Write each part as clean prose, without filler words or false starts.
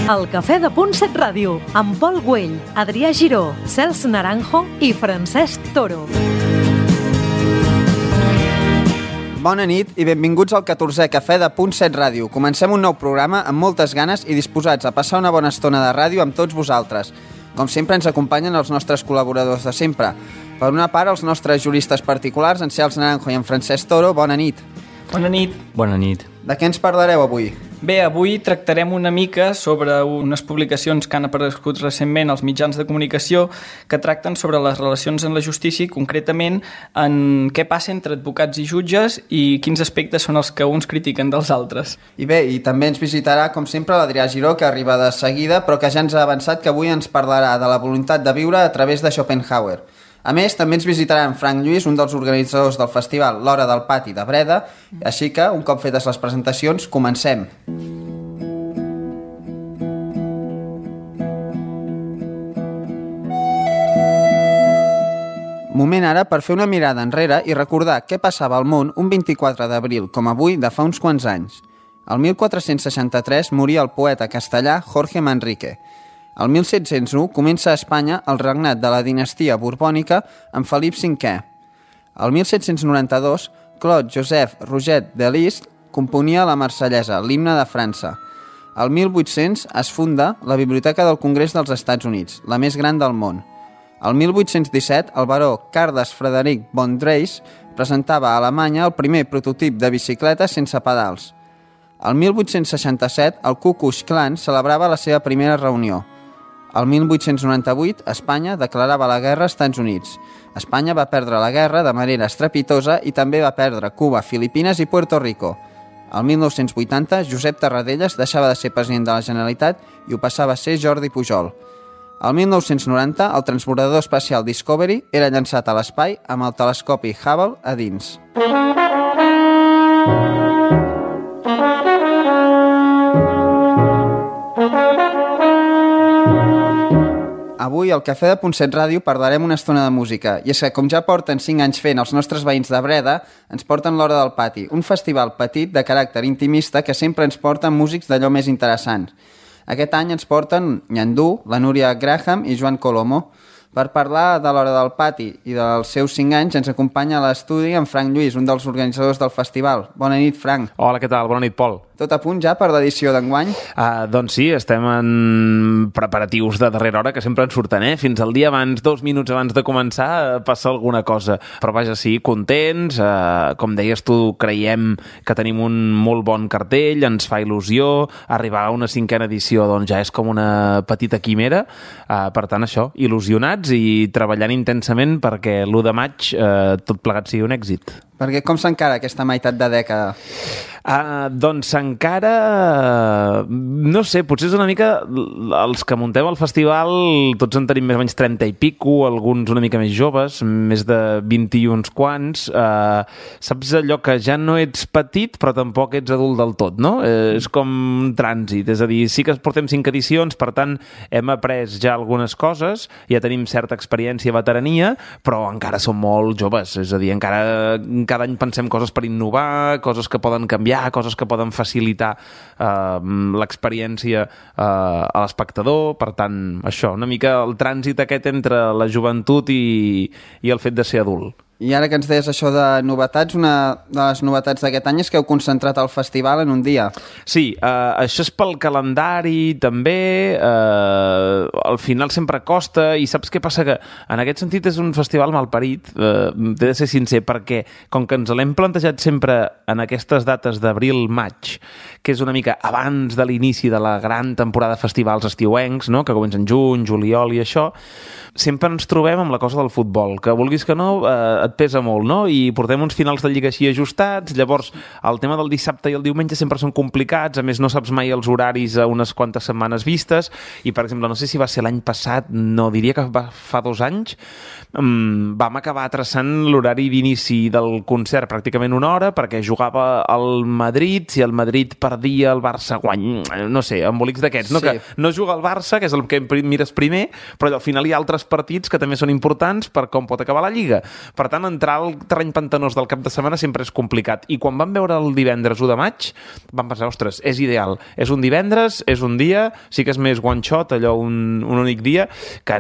El Cafè de Punt 7 Ràdio, amb Pol Güell, Adrià Giró, Cels Naranjo i Francesc Toro. Bona nit i benvinguts al 14è Cafè de Punt 7 Ràdio. Comencem un nou programa amb moltes ganes i disposats a passar una bona estona de ràdio amb tots vosaltres. Com sempre ens acompanyen els nostres col·laboradors de sempre. Per una part, els nostres juristes particulars, en Cels Naranjo i en Francesc Toro. Bona nit. Bona nit. Bona nit. De què ens parlareu avui? Bé, avui tractarem una mica sobre unes publicacions que han aparegut recentment als mitjans de comunicació que tracten sobre les relacions en la justícia i concretament en què passa entre advocats i jutges i quins aspectes són els que uns critiquen dels altres. I bé, i també ens visitarà, com sempre, l'Adrià Giró, que arriba de seguida, però que ja ens ha avançat que avui ens parlarà de la voluntat de viure a través de Schopenhauer. A més, també ens visitarà en Frank Lluís, un dels organitzadors del festival L'Hora del Pati de Breda, així que, un cop fetes les presentacions, comencem. Moment ara per fer una mirada enrere i recordar què passava al món un 24 d'abril, com avui, de fa uns quants anys. El 1463 moria el poeta castellà Jorge Manrique. El 1701 comença a Espanya el regnat de la dinastia borbònica amb Felip V. El 1792, Claude Joseph Rouget de Lisle componia la Marsellesa, l'himne de França. El 1800 es funda la Biblioteca del Congrés dels Estats Units, la més gran del món. El 1817, el baró Cardes Frederic von Dreis presentava a Alemanya el primer prototip de bicicleta sense pedals. El 1867, el Ku Klux Klan celebrava la seva primera reunió. El 1898, Espanya declarava la guerra als Estats Units. Espanya va perdre la guerra de manera estrepitosa i també va perdre Cuba, Filipines i Puerto Rico. El 1980, Josep Tarradellas deixava de ser president de la Generalitat i ho passava a ser Jordi Pujol. El 1990, el transbordador espacial Discovery era llançat a l'espai amb el telescopi Hubble a dins. Avui al Cafè de Punt 7 Ràdio parlarem una estona de música, i és que com ja porten 5 anys fent els nostres veïns de Breda, ens porten l'Hora del Pati, un festival petit de caràcter intimista que sempre ens porten músics d'allò més interessants. Aquest any ens porten Nyandú, la Núria Graham i Joan Colomo. Per parlar de l'Hora del Pati i dels seus 5 anys ens acompanya a l'estudi en Frank Lluís, un dels organitzadors del festival. Bona nit, Frank. Hola, què tal? Bona nit, Pol. Tot a punt ja per l'edició d'enguany? Doncs sí, estem en preparatius de darrera hora que sempre ens surten, Fins al dia abans, 2 minuts abans de començar, passa alguna cosa. Però vaja, sí, contents. Com deies tu, creiem que tenim un molt bon cartell, ens fa il·lusió. Arribar a una 5a edició doncs ja és com una petita quimera. Per tant, això, il·lusionats i treballant intensament perquè l'1 de maig tot plegat sigui un èxit. Perquè com s'encara aquesta meitat de dècada? Doncs encara... No sé, potser és una mica... Els que muntem el festival, tots en tenim més o menys 30 i pico, alguns una mica més joves, més de 20 i uns quants. Saps allò que ja no ets petit, però tampoc ets adult del tot, no? És com un trànsit, és a dir, sí que portem 5 edicions, per tant, hem après ja algunes coses, ja tenim certa experiència, veterania, però encara som molt joves, és a dir, encara cada any pensem coses per innovar, coses que poden canviar, coses que poden facilitar l'experiència a l'espectador. Per tant, això, una mica el trànsit aquest entre la joventut i el fet de ser adult. I ara que ens deies això de novetats, una de les novetats d'aquest any és que heu concentrat el festival en un dia. Sí, això és pel calendari també, al final sempre costa, i saps què passa? Que en aquest sentit és un festival malparit, t'he de ser sincer, perquè com que ens l'hem plantejat sempre en aquestes dates d'abril-maig, que és una mica abans de l'inici de la gran temporada de festivals estiuencs, no? Que comencen juny, juliol i això, sempre ens trobem amb la cosa del futbol, que vulguis que no, et pesa molt, no? I portem uns finals de lliga així ajustats, llavors el tema del dissabte i el diumenge sempre són complicats, a més no saps mai els horaris a unes quantes setmanes vistes, i per exemple, no sé si va ser l'any passat, no, diria que fa 2 anys, vam acabar traçant l'horari d'inici del concert pràcticament 1 hora, perquè jugava al Madrid, si el Madrid perdia, el Barça guanya, no sé, embolics d'aquests, no? Sí. Que no juga el Barça, que és el que mires primer, però al final hi ha altres partits que també són importants per com pot acabar la Lliga. Per tant, entrar al terreny pantanós del cap de setmana sempre és complicat. I quan vam veure el divendres 1 de maig, vam pensar, ostres, és ideal. És un divendres, és un dia, sí que és més one shot, allò un únic dia, que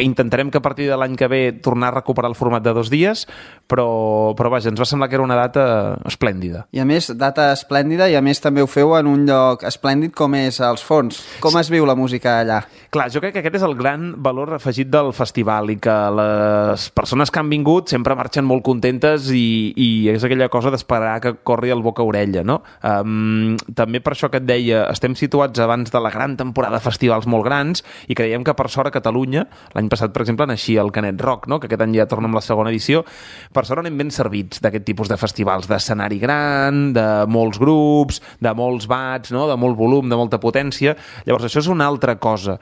intentarem que a partir de l'any que ve tornar a recuperar el format de 2 dies, però vaja, ens va semblar que era una data esplèndida. I a més, data esplèndida, i a més també ho feu en un lloc esplèndid com és els Forns. Com es viu la música allà? Clar, jo crec que aquest és el gran valor afegit del festival i que les persones que han vingut sempre marxen molt contentes i és aquella cosa d'esperar que corri el boca-orella, no? També per això que et deia, estem situats abans de la gran temporada de festivals molt grans i creiem que per sort a Catalunya, l'any passat, per exemple, naixia el Canet Rock, no? Que aquest any ja torna amb la segona edició, per sort anem ben servits d'aquest tipus de festivals, d'escenari gran, de molts grups, de molts bats, no? De molt volum, de molta potència. Llavors, això és una altra cosa.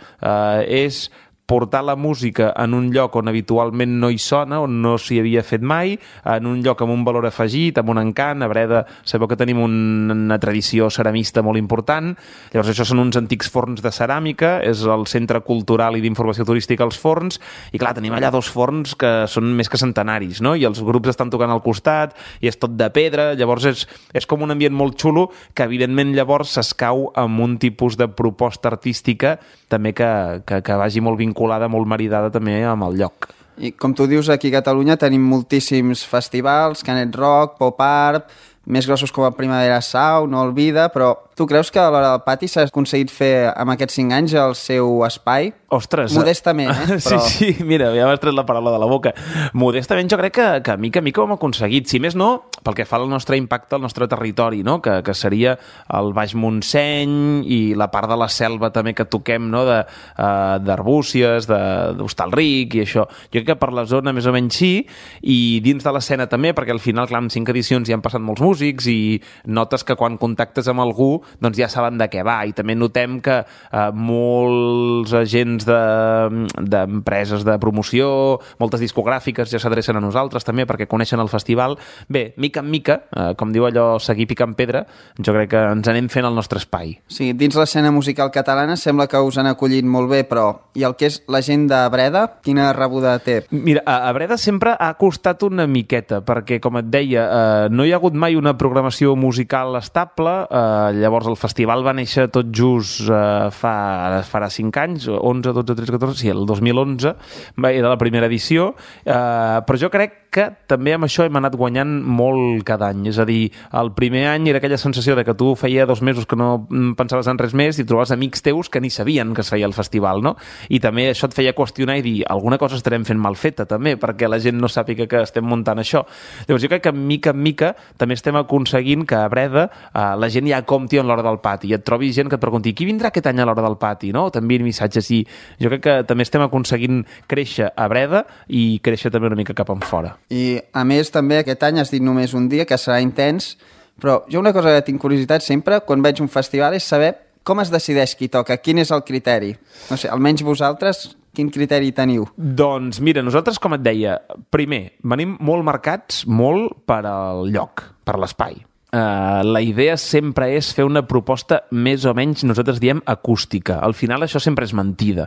És portar la música en un lloc on habitualment no hi sona, on no s'hi havia fet mai, en un lloc amb un valor afegit, amb un encant. A Breda sabeu que tenim una tradició ceramista molt important. Llavors això són uns antics forns de ceràmica, és el centre cultural i d'informació turística als forns, i clar, tenim allà 2 forns que són més que centenaris, no? I els grups estan tocant al costat, i és tot de pedra, llavors és com un ambient molt xulo que evidentment llavors s'escau amb un tipus de proposta artística també que vagi molt vinculada, molt maridada també amb el lloc. I com tu dius, aquí a Catalunya tenim moltíssims festivals, Canet Rock, Pop Art, més grossos com a Primavera Sound, No Olvida, però tu creus que a l'Hora del Pati s'ha aconseguit fer amb aquests 5 anys el seu espai? Ostres! Modestament, Però... Sí, mira, ja m'has tret la paraula de la boca. Modestament jo crec que mica en mica ho hem aconseguit. Si més no, pel que fa al nostre impacte al nostre territori, no? Que seria el Baix Montseny i la part de la selva també que toquem, no? D'Arbúcies, d'Hostalric i això. Jo crec que per la zona més o menys sí, i dins de l'escena també, perquè al final, clar, en 5 edicions ja han passat molts músics i notes que quan contactes amb algú doncs ja saben de què va, i també notem que molts agents d'empreses de promoció, moltes discogràfiques ja s'adrecen a nosaltres també perquè coneixen el festival. Bé, mica en mica, com diu allò, seguir picant pedra, jo crec que ens anem fent el nostre espai. Sí, dins l'escena musical catalana sembla que us han acollit molt bé, però i el que és la gent de Breda, quina rebuda té? Mira, a Breda sempre ha costat una miqueta, perquè, com et deia, no hi ha hagut mai una programació musical estable. Llavors el festival va néixer tot just farà 5 anys, 11, 12, 13, 14, sí, el 2011 era la primera edició, però jo crec que també amb això hem anat guanyant molt cada any. És a dir, el primer any era aquella sensació de que tu feia 2 mesos que no pensaves en res més i trobaves amics teus que ni sabien que es feia el festival, no? I també això et feia qüestionar i dir, alguna cosa estarem fent mal feta també, perquè la gent no sàpiga que estem muntant això. Llavors jo crec que mica en mica també estem aconseguint que a Breda la gent ja compti en l'Hora del Pati i et trobi gent que et pregunti qui vindrà aquest any a l'Hora del Pati, no? T'envien missatges, i jo crec que també estem aconseguint créixer a Breda i créixer també una mica cap enfora. I a més també aquest any has dit només un dia, que serà intens, però jo una cosa que tinc curiositat sempre quan veig un festival és saber com es decideix qui toca, quin és el criteri. No sé, almenys vosaltres, quin criteri teniu? Doncs mira, nosaltres, com et deia, primer, venim molt marcats molt per al lloc, per l'espai. La idea sempre és fer una proposta més o menys, nosaltres diem, acústica. Al final això sempre és mentida,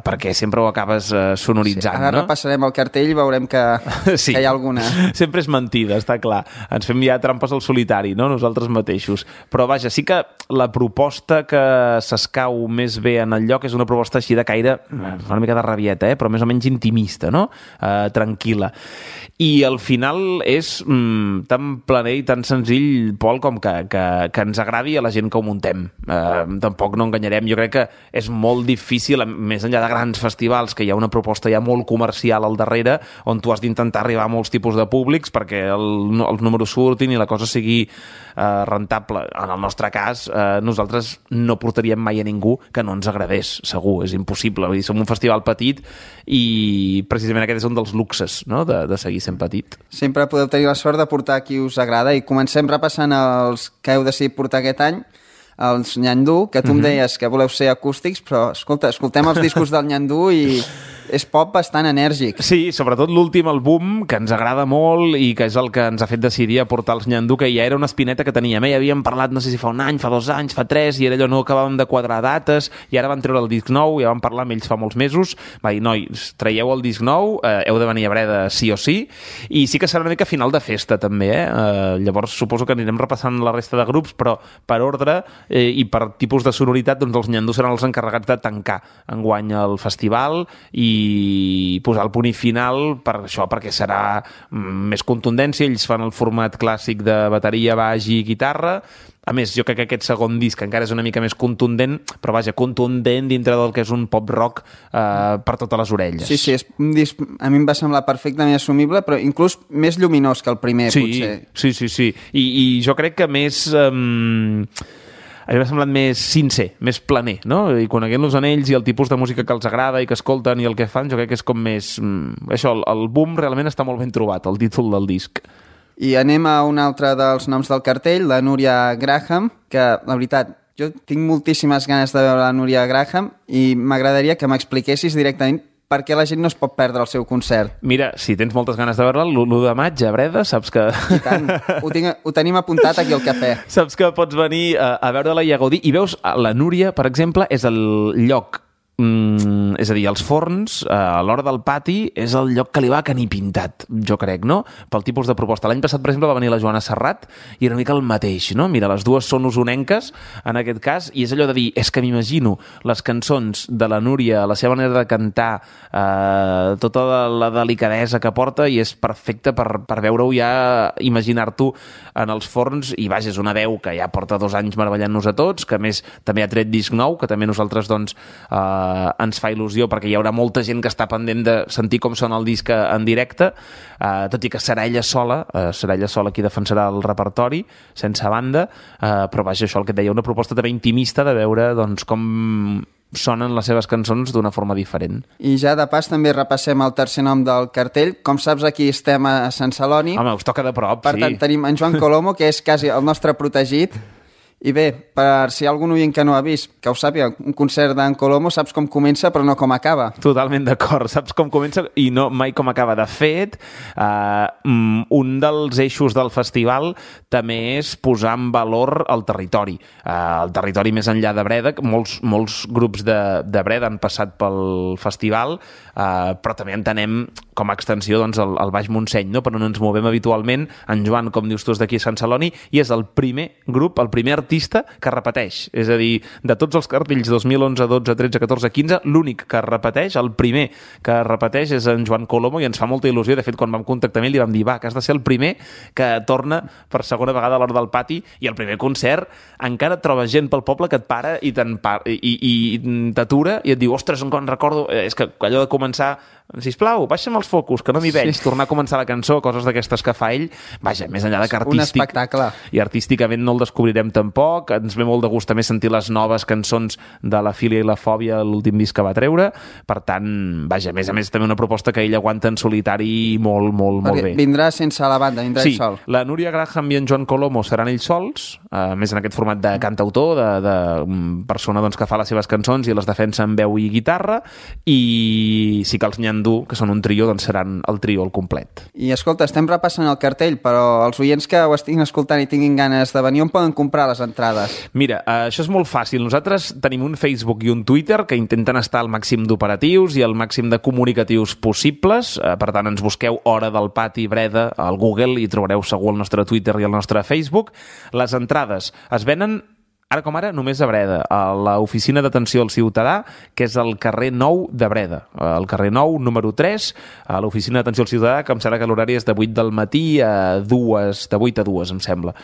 perquè sempre ho acabes sonoritzant. Sí, ara repassarem el cartell i veurem que sí, que hi ha alguna. Sempre és mentida, està clar. Ens fem ja trampes al solitari, no? Nosaltres mateixos. Però vaja, sí que la proposta que s'escau més bé en el lloc és una proposta així de caire, una mica de rabieta, però més o menys intimista, no? Tranquil·la. I al final és tan planer i tan senzill, Pol, com que ens agradi a la gent que ho muntem. Tampoc no enganyarem. Jo crec que és molt difícil, més enllà de grans festivals, que hi ha una proposta ja molt comercial al darrere, on tu has d'intentar arribar a molts tipus de públics perquè els números surtin i la cosa sigui rentable. En el nostre cas, nosaltres no portaríem mai a ningú que no ens agradés, segur, és impossible. Vull dir, som un festival petit i precisament aquest és un dels luxes, no?, de seguir sent petit. Sempre podeu tenir la sort de portar qui us agrada, i comencem repassant els que heu decidit portar aquest any. Els Nyandú, que tu em deies que voleu ser acústics, però escolta, escoltem els discos del Nyandú i és pop bastant enèrgic. Sí, sobretot l'últim, el Boom, que ens agrada molt i que és el que ens ha fet decidir a portar els Nyandú, que ja era una espineta que teníem. Ja havíem parlat, no sé si fa un any, fa 2 anys, fa 3, i era allò, no acabàvem de quadrar dates, i ara van treure el disc nou, ja vam parlar amb ells fa molts mesos, va dir, nois, traieu el disc nou, heu de venir a Breda sí o sí, i sí que serà una mica final de festa també, llavors suposo que anirem repassant la resta de grups, però per ordre i per tipus de sonoritat, doncs els Nyandú seran els encarregats de tancar enguany el festival i posar el punt final per això, perquè serà més contundència, ells fan el format clàssic de bateria, baix i guitarra. A més, jo crec que aquest segon disc encara és una mica més contundent, però vaja, contundent dintre del que és un pop-rock per totes les orelles. Sí, és un disc, a mi em va semblar perfectament assumible, però inclús més lluminós que el primer, potser. Sí. I jo crec que més... a mi m'ha semblat més sincer, més planer, no? I coneguent-los en ells i el tipus de música que els agrada i que escolten i el que fan, jo crec que és com més... Això, el Boom realment està molt ben trobat, el títol del disc. I anem a un altre dels noms del cartell, la Núria Graham, que, la veritat, jo tinc moltíssimes ganes de veure la Núria Graham i m'agradaria que m'expliquessis directament per què la gent no es pot perdre el seu concert. Mira, si tens moltes ganes de veure-la, l'1 de maig a Breda, saps que... I tant, ho tenim apuntat aquí al cafè. Saps que pots venir a veure-la i a gaudir. I veus, la Núria, per exemple, és el lloc... és a dir, els forns a l'hora del pati és el lloc que li va canir pintat, jo crec, no? Pel tipus de proposta. L'any passat, per exemple, va venir la Joana Serrat i era una mica el mateix, no? Mira, les dues són usonenques, en aquest cas, i és allò de dir, és que m'imagino les cançons de la Núria, la seva manera de cantar, tota la delicadesa que porta, i és perfecte per veure-ho ja, imaginar-t'ho en els forns, i vaja, és una veu que ja porta 2 anys meravellant-nos a tots, que a més també ha tret disc nou, que també nosaltres, doncs, ens fa il·lusió perquè hi haurà molta gent que està pendent de sentir com sona el disc en directe, tot i que serà ella sola qui defensarà el repertori, sense banda, però vaja, això el que et deia, una proposta també intimista de veure doncs, com sonen les seves cançons d'una forma diferent. I ja de pas també repassem el tercer nom del cartell. Com saps, aquí estem a Sant Celoni. Home, us toca de prop, per tant, tenim en Joan Colomo, que és quasi el nostre protegit. I bé, per si hi ha algun oient que no ha vist, que ho sàpiga, un concert d'en Colomo saps com comença però no com acaba. Totalment d'acord, saps com comença i no mai com acaba. De fet, un dels eixos del festival també és posar en valor el territori. El territori més enllà de Breda, molts grups de Breda han passat pel festival, però també entenem com a extensió doncs, el Baix Montseny, no? Per on ens movem habitualment. En Joan, com dius tu, és d'aquí a Sant Celoni i és el primer grup, el primer artista que repeteix. És a dir, de tots els cartells 2011, 12, 13, 14, 15, l'únic que repeteix, el primer que repeteix és en Joan Colomo i ens fa molta il·lusió. De fet, quan vam contactar amb ell li vam dir, va, que has de ser el primer que torna per segona vegada a l'hora del pati i el primer concert encara et trobes gent pel poble que et para i t'atura i et diu, ostres, on recordo... És que allò de començar, sisplau, baixa'm els focus, que no m'hi veig, tornar a començar la cançó, coses d'aquestes que fa ell, vaja, més enllà de que artístic... Un espectacle. I artísticament no el descobrirem tampoc, ens ve molt de gust també sentir les noves cançons de La Filia i la Fòbia, l'últim disc que va treure, per tant, vaja, a més també una proposta que ell aguanta en solitari molt bé. Vindrà sense la banda, vindrà ell sol. Sí, la Núria Graham i en Joan Colomo seran ells sols, més en aquest format de cantautor, de persona doncs, que fa les seves cançons i les defensa amb veu i guitarra, i sí que els Nyandú, que són un trio, doncs seran el trio al complet. I escolta, estem repassant el cartell, però els oients que ho estiguin escoltant i tinguin ganes de venir, on poden comprar les entrades? Mira, això és molt fàcil. Nosaltres tenim un Facebook i un Twitter que intenten estar al màxim d'operatius i al màxim de comunicatius possibles. Per tant, ens busqueu Hora del Pati Breda al Google i trobareu segur el nostre Twitter i el nostre Facebook. Les entrades es venen ara com ara, només a Breda, a l'Oficina d'Atenció al Ciutadà, que és al carrer Nou de Breda. Al carrer Nou, número 3, a l'Oficina d'Atenció al Ciutadà, que em sembla que l'horari és de 8 del matí a 2, de 8 a 2, em sembla.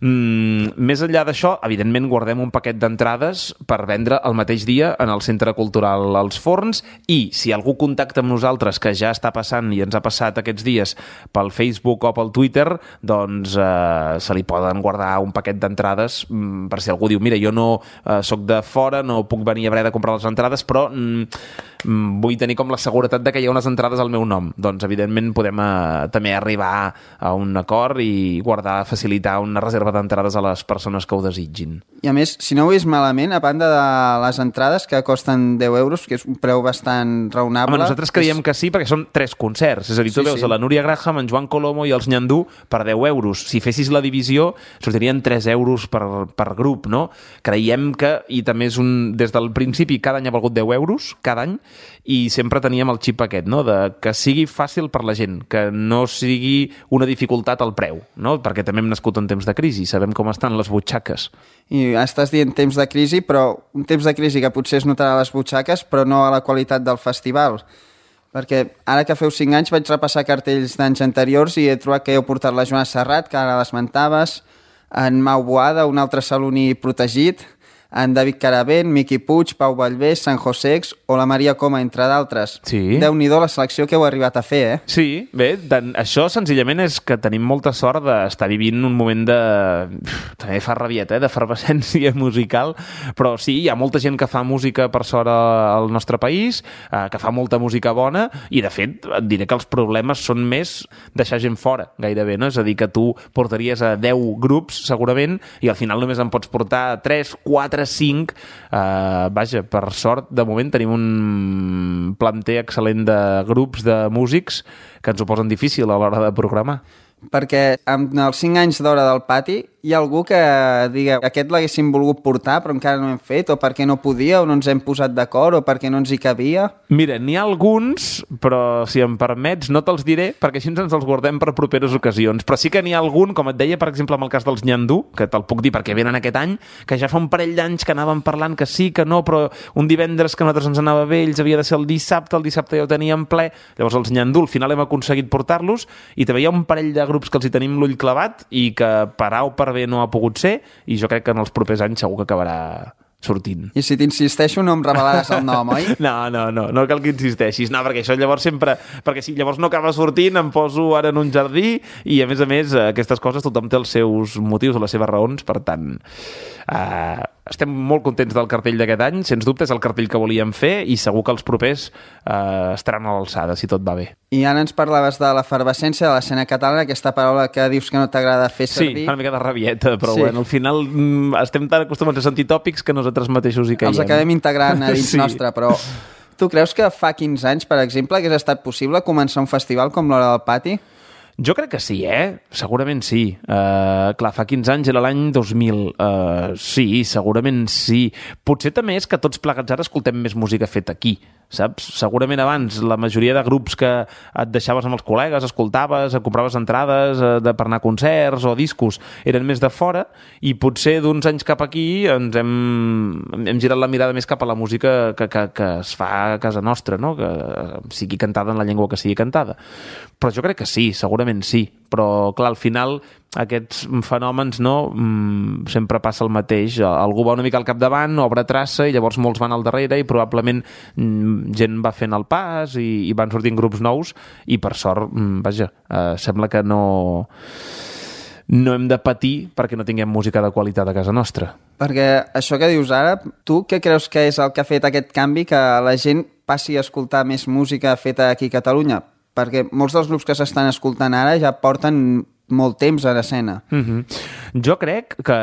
Més enllà d'això, evidentment guardem un paquet d'entrades per vendre el mateix dia en el Centre Cultural Els Forns, i si algú contacta amb nosaltres, que ja està passant i ens ha passat aquests dies pel Facebook o pel Twitter, doncs se li poden guardar un paquet d'entrades per si algú diu, mira, jo no sóc de fora, no puc venir a Breda a comprar les entrades, però vull tenir com la seguretat de que hi ha unes entrades al meu nom. Doncs, evidentment, podem també arribar a un acord i facilitar una reserva d'entrades a les persones que ho desitgin. I a més, si no ho veus malament, a banda de les entrades que costen 10 euros, que és un preu bastant raonable... Home, nosaltres creiem que sí, perquè són 3 concerts. És a dir, tu veus a la Núria Graham, en Joan Colomo i els Nyandú per 10 euros. Si fessis la divisió, sortirien 3 euros per grup, no? Creiem que, i també és des del principi, cada any ha valgut 10 euros, cada any, i sempre teníem el xip aquest, no? De que sigui fàcil per la gent, que no sigui una dificultat al preu, no? Perquè també hem nascut en temps de crisi, sabem com estan les butxaques. I estàs dient temps de crisi, però un temps de crisi que potser es notarà a les butxaques, però no a la qualitat del festival. Perquè ara que feu 5 anys vaig repassar cartells d'anys anteriors i he trobat que heu portat la Joana Serrat, que ara l'esmentaves, en Mau Boada, un altre saloní protegit, en David Caravent, Miqui Puig, Pau Vallvé, San Josex o la Maria Coma, entre d'altres. Sí. Déu-n'hi-do la selecció que heu arribat a fer, eh? Sí, bé, això senzillament és que tenim molta sort d'estar vivint un moment de... també fa rabieta, d'efervescència musical, però sí, hi ha molta gent que fa música per sort al nostre país, que fa molta música bona, i de fet et diré que els problemes són més deixar gent fora, gairebé, no? És a dir, que tu portaries a 10 grups, segurament, i al final només en pots portar 3, 4, 5, vaja, per sort de moment tenim un planter excel·lent de grups de músics que ens ho posen difícil a l'hora de programar. Perquè amb els 5 anys d'Hora del Pati hi ha algú que digui aquest l'haguéssim volgut portar però encara no hem fet, o perquè no podia, o no ens hem posat d'acord, o perquè no ens hi cabia? Mira, n'hi ha alguns, però si em permets no te'ls diré, perquè així ens els guardem per properes ocasions. Però sí que n'hi ha algun, com et deia, per exemple, amb el cas dels Nyandú, que te'l puc dir perquè venen aquest any, que ja fa un parell d'anys que anàvem parlant que sí, que no, però un divendres que a nosaltres ens anava bé, ells havia de ser el dissabte ja ho teníem ple. Llavors els Nyandú al final hem aconseguit portar-los, i també hi ha un parell de grups que els hi tenim l'ull clavat i que per A o per B no ha pogut ser, i jo crec que en els propers anys segur que acabarà sortint. I si t'insisteixo no em revelaràs el nom, oi? No cal que insisteixis, no, perquè això llavors sempre... Perquè si llavors no acaba sortint, em poso ara en un jardí, i a més, aquestes coses tothom té els seus motius o les seves raons, per tant... estem molt contents del cartell d'aquest any, sens dubte és el cartell que volíem fer, i segur que els propers estaran a l'alçada, si tot va bé. I ara ens parlaves de l'efervescència de l'escena catalana, aquesta paraula que dius que no t'agrada fer servir. Sí, una mica de rabieta, però bueno, al final estem tan acostumats a sentir tòpics que nosaltres mateixos hi caiem. Els acabem integrant a dins nostre, però tu creus que fa 15 anys, per exemple, hagués estat possible començar un festival com l'Hora del Pati? Jo crec que sí, Segurament sí. Clar, fa 15 anys era l'any 2000. Sí, segurament sí. Potser també és que tots plegats ara escoltem més música feta aquí, saps? Segurament abans la majoria de grups que et deixaves amb els col·legues, escoltaves, compraves entrades per anar a concerts o discos, eren més de fora, i potser d'uns anys cap aquí ens hem girat la mirada més cap a la música que es fa a casa nostra, no? Que sigui cantada en la llengua que sigui cantada. Però jo crec que sí, segurament sí, però clar, al final aquests fenòmens sempre passa el mateix, algú va una mica al capdavant, obre traça, i llavors molts van al darrere, i probablement gent va fent el pas i van sortint grups nous, i per sort, sembla que no hem de patir perquè no tinguem música de qualitat a casa nostra. Perquè això que dius ara, tu què creus que és el que ha fet aquest canvi, que la gent passi a escoltar més música feta aquí a Catalunya? Perquè molts dels grups que s'estan escoltant ara ja porten molt temps a l'escena. Jo crec que,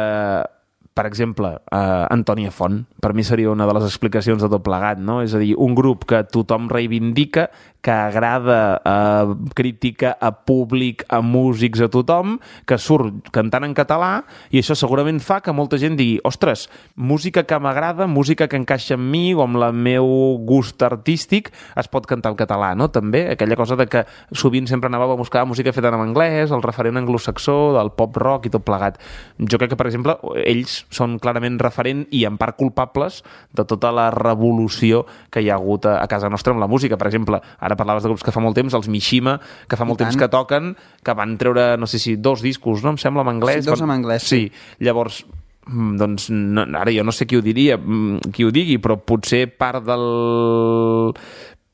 per exemple, Antònia Font, per mi seria una de les explicacions de tot plegat, no? És a dir, un grup que tothom reivindica, que agrada a crítica, a públic, a músics, a tothom, que surt cantant en català, i això segurament fa que molta gent digui, ostres, música que m'agrada, música que encaixa amb mi o amb el meu gust artístic, es pot cantar en català, no? També aquella cosa de que sovint sempre anàveu a buscar música feta en anglès, el referent anglosaxó, del pop rock i tot plegat. Jo crec que, per exemple, ells són clarament referent i en part culpables de tota la revolució que hi ha hagut a casa nostra amb la música. Per exemple, ara parlaves de grups que fa molt temps, els Mishima, que fa molt temps que toquen, que van treure, no sé si 2 discos, no? Em sembla, en anglès. Sí, 2 en anglès. Sí, llavors, doncs, ara jo no sé qui ho diria, qui ho digui, però potser part del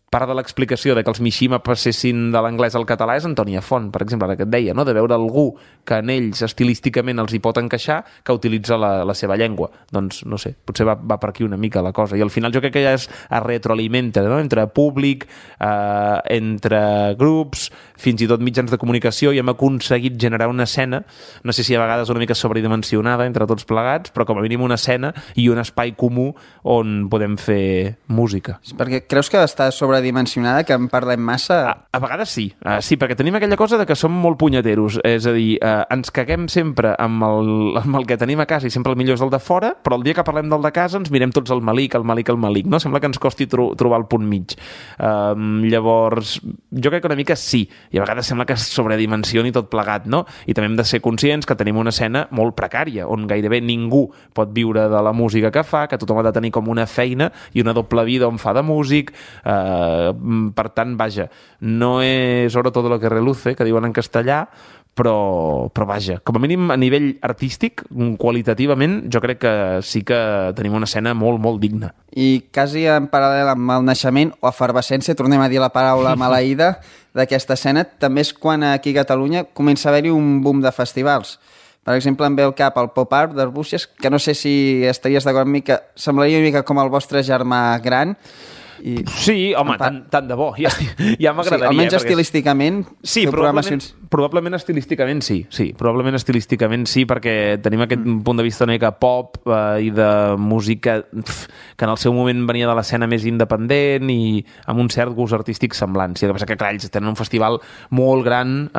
part de l'explicació de que els Mishima passessin de l'anglès al català és Antònia Font, per exemple, ara que et deia, no? De veure algú que en ells estilísticament els hi pot encaixar que utilitza la seva llengua. Doncs, no sé, potser va per aquí una mica la cosa. I al final jo crec que ja es retroalimenta, no? Entre públic, entre grups, fins i tot mitjans de comunicació, i hem aconseguit generar una escena, no sé si a vegades una mica sobredimensionada entre tots plegats, però com a mínim una escena i un espai comú on podem fer música. Perquè creus que està sobredimensionada, que en parlem massa? A vegades sí. Sí, perquè tenim aquella cosa de que som molt punyeteros, és a dir, ens caguem sempre amb el que tenim a casa i sempre el millor és el de fora, però el dia que parlem del de casa ens mirem tots el malic, no? Sembla que ens costi trobar el punt mig. Llavors, jo crec que una mica sí, i a vegades sembla que es sobredimensioni tot plegat, no? I també hem de ser conscients que tenim una escena molt precària, on gairebé ningú pot viure de la música que fa, que tothom ha de tenir com una feina i una doble vida on fa de músic. Per tant, vaja, no és oro todo lo que reluce, que diuen en castellà, però vaja, com a mínim a nivell artístic, qualitativament, jo crec que sí que tenim una escena molt, molt digna. I quasi en paral·lel amb el naixement o efervescència, tornem a dir la paraula maleïda d'aquesta escena, també és quan aquí a Catalunya comença a haver-hi un boom de festivals. Per exemple, em ve al cap el Pop Art d'Arbúcies, que no sé si estaries d'acord amb mi, que semblaria una mica com el vostre germà gran. Sí, home, tant de bo, ja m'agradaria. Sí, almenys estilísticament, sí, probablement estilísticament sí, perquè tenim aquest punt de vista una mica pop i de música que en el seu moment venia de l'escena més independent i amb un cert gust artístic semblant. Sí, el que passa que, clar, ells tenen un festival molt gran,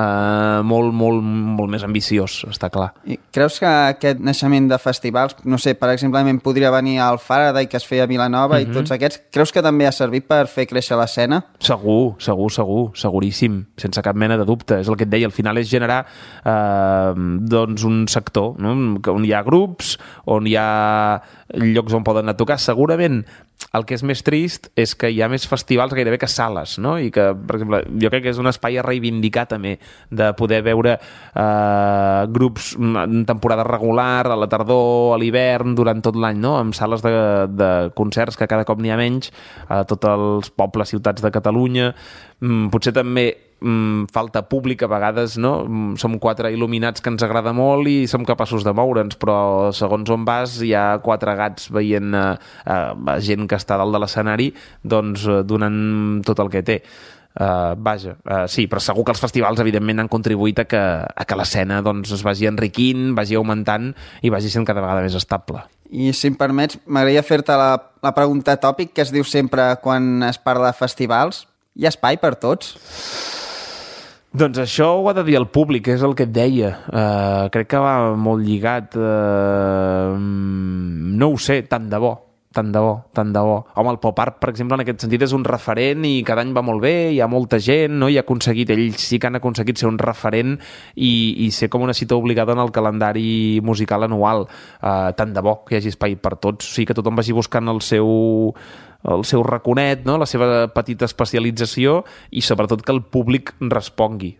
molt més ambiciós, està clar. I creus que aquest naixement de festivals, no sé, per exemple, podria venir al Faraday, que es feia a Vilanova, i tots aquests, creus que també ha servit per fer créixer l'escena? Seguríssim, sense cap mena de dubte. És el que et deia, al final és generar doncs un sector, no? On hi ha grups, on hi ha llocs on poden anar a tocar. Segurament el que és més trist és que hi ha més festivals gairebé que sales, no? I que, per exemple, jo crec que és un espai a reivindicar també, de poder veure grups en temporada regular, a la tardor, a l'hivern, durant tot l'any, no? Amb sales de concerts que cada cop n'hi ha menys a tots els pobles, ciutats de Catalunya. Potser també falta públic a vegades, no? Som 4 il·luminats que ens agrada molt i som capaços de moure'ns, però segons on vas hi ha 4 gats veient gent que està dalt de l'escenari, doncs donant tot el que té. Sí, però segur que els festivals evidentment han contribuït a que l'escena doncs, es vagi enriquint, vagi augmentant i vagi sent cada vegada més estable. I si em permets, m'agradaria fer-te la pregunta tòpic que es diu sempre quan es parla de festivals. Hi ha espai per tots? Doncs això ho ha de dir el públic, és el que et deia. Crec que va molt lligat. No ho sé, tant de bo. Home, el Pop Art, per exemple, en aquest sentit és un referent i cada any va molt bé, hi ha molta gent, no? Ells sí que han aconseguit ser un referent i ser com una cita obligada en el calendari musical anual. Tant de bo que hi hagi espai per tots, o sigui que tothom vagi buscant el seu raconet, no? La seva petita especialització i sobretot que el públic respongui.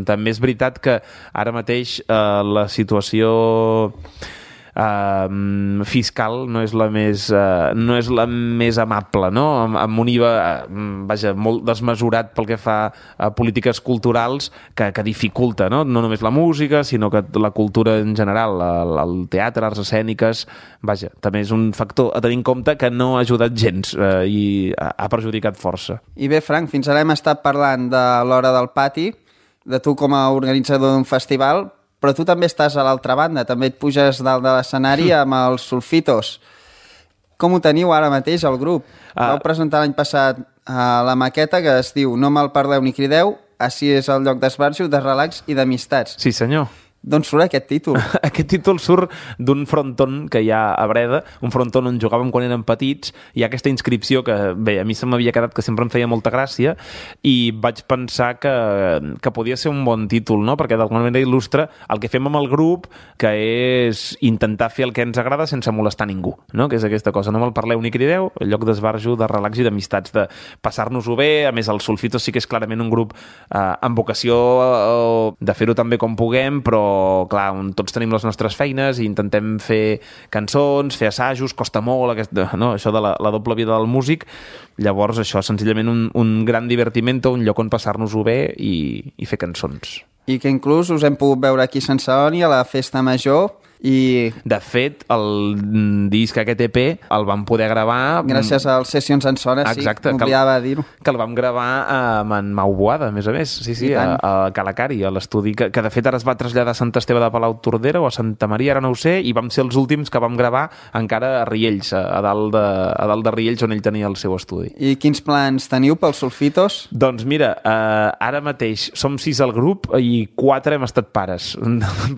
També és veritat que ara mateix la situació fiscal no és la més amable, no? Amb un IVA molt desmesurat pel que fa a polítiques culturals que dificulta, no? No només la música, sinó que la cultura en general, el teatre, arts escèniques, també és un factor a tenir en compte que no ha ajudat gens i ha perjudicat força. I bé, Frank, fins ara hem estat parlant de l'Hora del Pati, de tu com a organitzador d'un festival, però tu també estàs a l'altra banda, també et puges dalt de l'escenari amb els Sulfitos. Com ho teniu ara mateix, el grup? Vau presentar l'any passat la maqueta que es diu No me'l parleu ni crideu, així és el lloc d'esbarjo, de relax i d'amistats. Sí, senyor. D'on surt aquest títol? Aquest títol surt d'un fronton que hi ha a Breda, un fronton on jugàvem quan érem petits, hi ha aquesta inscripció que, bé, a mi se m'havia quedat que sempre em feia molta gràcia i vaig pensar que podia ser un bon títol, no? Perquè d'alguna manera il·lustra el que fem amb el grup, que és intentar fer el que ens agrada sense molestar ningú, no? Que és aquesta cosa, no me'l parleu ni crideu, el lloc d'esbarjo, de relax i d'amistats, de passar-nos-ho bé. A més, el Sulfitos sí que és clarament un grup amb vocació de fer-ho tan bé com puguem, però però, clar, tots tenim les nostres feines i intentem fer cançons, fer assajos, costa molt això de la doble vida del músic. Llavors, això, senzillament un gran divertimento, un lloc on passar-nos-ho bé i fer cançons. I que inclús us hem pogut veure aquí a Sant Celoni a la Festa Major i... De fet, el disc aquest EP el vam poder gravar... Gràcies als Sessions en Sona, sí, m'oblidava dir-ho. Que el vam gravar amb en Mau Boada, a més a més, sí, a Calacari, a l'estudi, que de fet ara es va traslladar a Sant Esteve de Palautordera o a Santa Maria, ara no ho sé, i vam ser els últims que vam gravar encara a Riells, a dalt de Riells, on ell tenia el seu estudi. I quins plans teniu pels Sulfitos? Doncs mira, ara mateix som 6 al grup i 4 hem estat pares.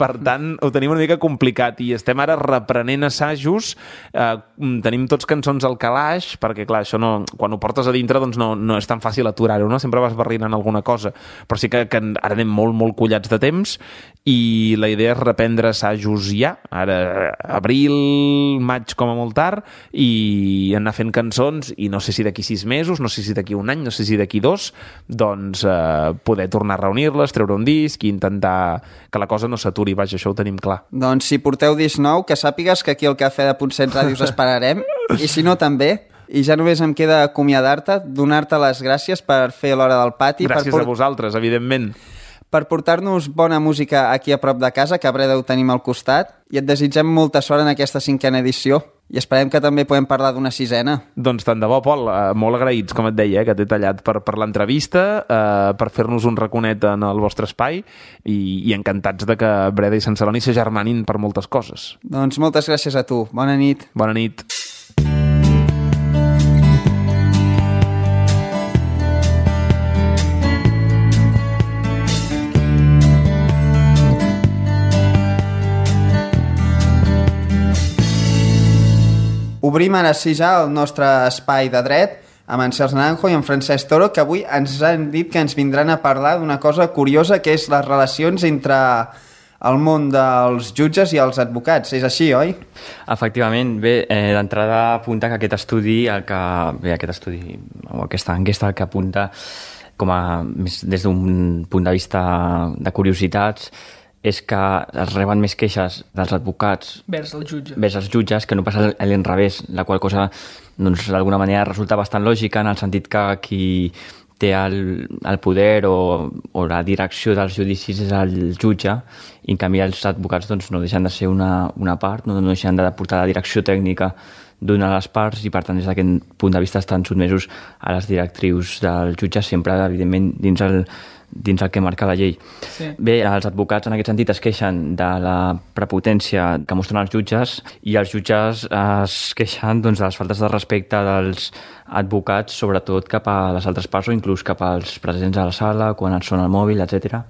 Per tant, ho tenim una mica complicat i estem ara reprenent assajos. Tenim tots cançons al calaix, perquè clar, això no, quan ho portes a dintre doncs no és tan fàcil aturar-ho, no? Sempre vas barrinant alguna cosa, però sí que ara anem molt collats de temps i la idea és reprendre assajos ja, ara abril, maig com a molt tard, i anar fent cançons, i no sé si d'aquí 6 mesos, no sé si d'aquí un any, no sé si d'aquí 2, doncs poder tornar a reunir-les, treure un disc i intentar que la cosa no s'aturi, vaja, això ho tenim clar. Doncs si porteu disc nou, que sàpigues que aquí al Cafè de Ponset Ràdio us esperarem, i si no també. I ja només em queda acomiadar-te, donar-te les gràcies per fer l'Hora del Pati. Gràcies a vosaltres, evidentment. Per portar-nos bona música aquí a prop de casa, que a Breda ho tenim al costat, i et desitgem molta sort en aquesta 5a edició. I esperem que també podem parlar d'una 6a. Doncs tant de bo, Pol, molt agraïts, com et deia, que t'he tallat per l'entrevista, per fer-nos un raconet en el vostre espai i encantats de que Breda i Sant Celoni s'agermanin per moltes coses. Doncs moltes gràcies a tu. Bona nit. Bona nit. Obrim ara sí ja el nostre espai de dret amb en Cels Naranjo i en Francesc Toro, que avui ens han dit que ens vindran a parlar d'una cosa curiosa, que és les relacions entre el món dels jutges i els advocats. És així, oi? Efectivament. Bé, d'entrada apunta que aquest estudi, o aquesta enquesta el que apunta des d'un punt de vista de curiositats, és que es reben més queixes dels advocats vers els jutges que no passa a l'inrevés, la qual cosa doncs, d'alguna manera resulta bastant lògica en el sentit que qui té el poder o la direcció dels judicis és el jutge, i en canvi els advocats doncs, no deixen de ser una part, no deixen de portar la direcció tècnica d'una de les parts, i per tant des d'aquest punt de vista estan sotmesos a les directrius del jutge, sempre evidentment dins el que marca la llei. Sí. Bé, els advocats en aquest sentit es queixen de la prepotència que mostren els jutges, i els jutges es queixen doncs, de les faltes de respecte dels advocats, sobretot cap a les altres parts o inclús cap als presents a la sala, quan et sona el mòbil, etc.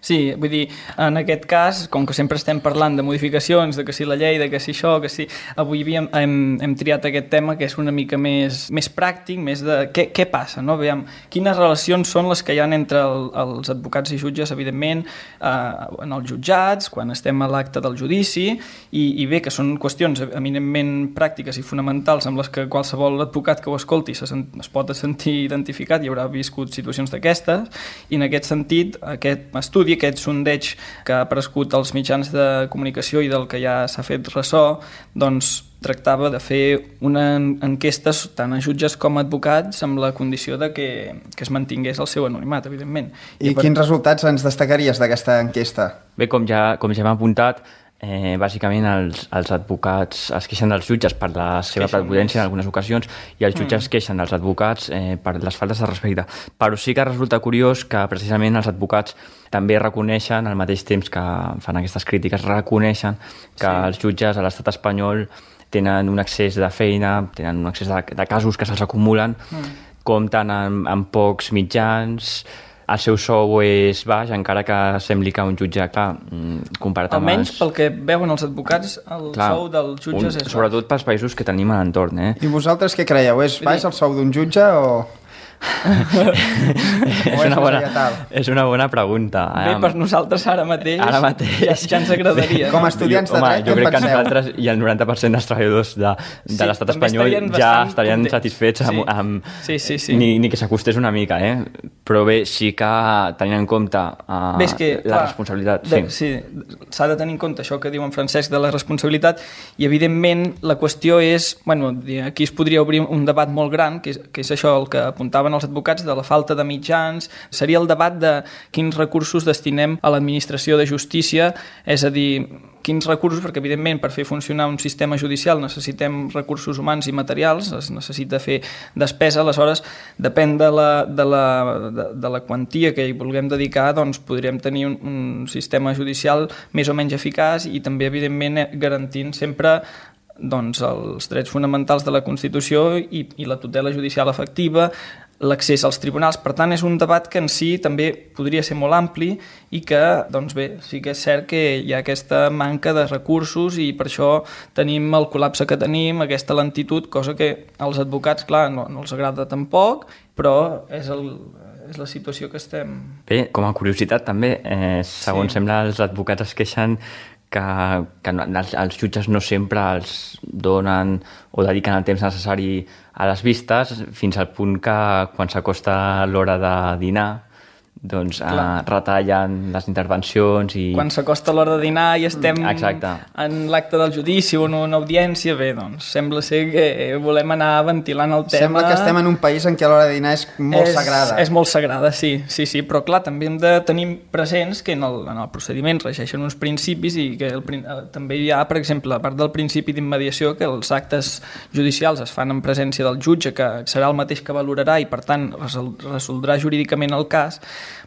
Sí, vull dir, en aquest cas, com que sempre estem parlant de modificacions, de que si la llei, de que si això, que si... Avui hem triat aquest tema que és una mica més pràctic, més de què passa, no? Veiem quines relacions són les que hi ha entre els advocats i jutges, evidentment, en els jutjats, quan estem a l'acte del judici, i bé, que són qüestions eminentment pràctiques i fonamentals amb les que qualsevol advocat que ho escolti es pot sentir identificat i haurà viscut situacions d'aquestes, i en aquest sentit, aquest estudi, aquest sondeig que ha aparegut als mitjans de comunicació i del que ja s'ha fet ressò, doncs tractava de fer una enquesta tant a jutges com a advocats amb la condició de que es mantingués el seu anonimat, evidentment. I quins resultats ens destacaries d'aquesta enquesta? Bé, com ja hem apuntat, bàsicament els advocats es queixen dels jutges per la seva prepotència en algunes ocasions, i els jutges es queixen dels advocats per les faltes de respecte. Però sí que resulta curiós que precisament els advocats també reconeixen, al mateix temps que fan aquestes crítiques, reconeixen que els jutges a l'estat espanyol tenen un excés de feina, tenen un excés de casos que se'ls acumulen, compten amb pocs mitjans, el seu sou és baix, encara que sembli que un jutge, clar, comparat amb... Almenys pel que veuen els advocats, sou dels jutges és baix. Sobretot pels països que tenim a l'entorn. I vosaltres què creieu? És baix el sou d'un jutge o...? és una bona pregunta. Bé, per nosaltres ara mateix ja ens agradaria. Com a estudiants de dret, jo crec que nosaltres i el 90% dels treballadors de l'estat espanyol ja estarien satisfets amb ni que s'acostés una mica, però bé, sí que tenint en compte la responsabilitat. Sí, s'ha de tenir en compte això que diu en Francesc de la responsabilitat i evidentment la qüestió és, bueno, aquí es podria obrir un debat molt gran, que és això el que apuntaven els advocats de la falta de mitjans, seria el debat de quins recursos destinem a l'administració de justícia, és a dir, quins recursos, perquè evidentment per fer funcionar un sistema judicial necessitem recursos humans i materials, es necessita fer despesa, aleshores depèn de la quantia que hi vulguem dedicar, doncs podríem tenir un sistema judicial més o menys eficaç i també evidentment garantint sempre doncs, els drets fonamentals de la Constitució i la tutela judicial efectiva, l'accés als tribunals. Per tant, és un debat que en si també podria ser molt ampli i que, doncs bé, sí que és cert que hi ha aquesta manca de recursos i per això tenim el col·lapse que tenim, aquesta lentitud, cosa que als advocats, clar, no els agrada tampoc, però és la situació que estem... Bé, com a curiositat també, segons sembla, els advocats es queixen que els jutges no sempre els donen o dediquen el temps necessari a les vistes fins al punt que quan s'acosta l'hora de dinar doncs retallen les intervencions i... Quan s'acosta l'hora de dinar i estem en l'acte del judici o en una audiència, bé, doncs sembla ser que volem anar ventilant el tema. Sembla que estem en un país en què l'hora de dinar és molt sagrada. És molt sagrada, sí, però clar, també hem de tenir presents que en el procediment regeixen uns principis i que també hi ha, per exemple, a part del principi d'immediació, que els actes judicials es fan en presència del jutge, que serà el mateix que valorarà i per tant resoldrà jurídicament el cas,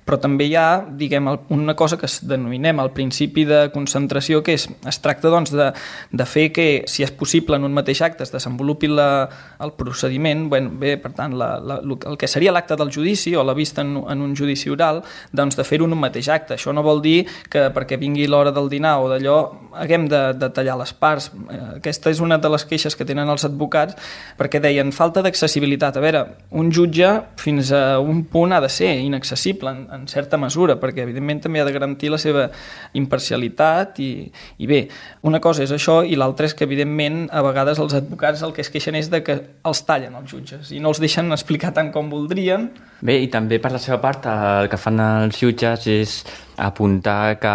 però també hi ha, diguem, una cosa que denominem el principi de concentració, que es tracta doncs, de fer que, si és possible en un mateix acte, es desenvolupi el procediment, bé, per tant, el que seria l'acte del judici o la vista en un judici oral, doncs de fer-ho en un mateix acte. Això no vol dir que perquè vingui l'hora del dinar o d'allò haguem de tallar les parts. Aquesta és una de les queixes que tenen els advocats, perquè deien falta d'accessibilitat. A veure, un jutge fins a un punt ha de ser inaccessible en certa mesura, perquè evidentment també ha de garantir la seva imparcialitat i bé, una cosa és això i l'altra és que evidentment a vegades els advocats el que es queixen és de que els tallen els jutges i no els deixen explicar tant com voldrien. Bé, i també per la seva part el que fan els jutges és apuntar que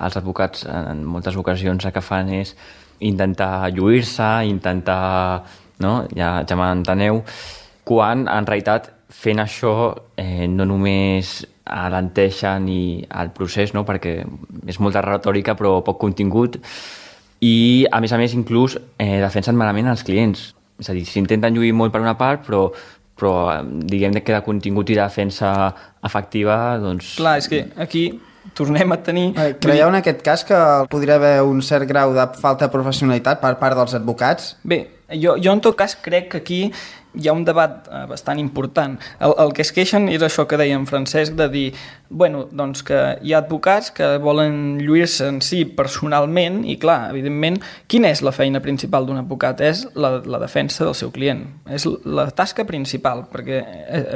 els advocats en moltes ocasions el que fan és intentar lluir-se, intentar, no? Ja m'enteneu, quan en realitat fent això no només alenteixen el procés, no? Perquè és molta retòrica però poc contingut i a més inclús defensen malament els clients, és a dir, s'intenten lluir molt per una part però diguem que de contingut i de defensa efectiva doncs... Clar, és que aquí tornem a tenir... Creieu en aquest cas que podria haver un cert grau de falta de professionalitat per part dels advocats? Bé, jo en tot cas crec que aquí hi ha un debat bastant important. El que es queixen és això que deia en Francesc, de dir, bueno, doncs que hi ha advocats que volen lluir-se en si personalment i, clar, evidentment, quina és la feina principal d'un advocat? És la defensa del seu client. És la tasca principal, perquè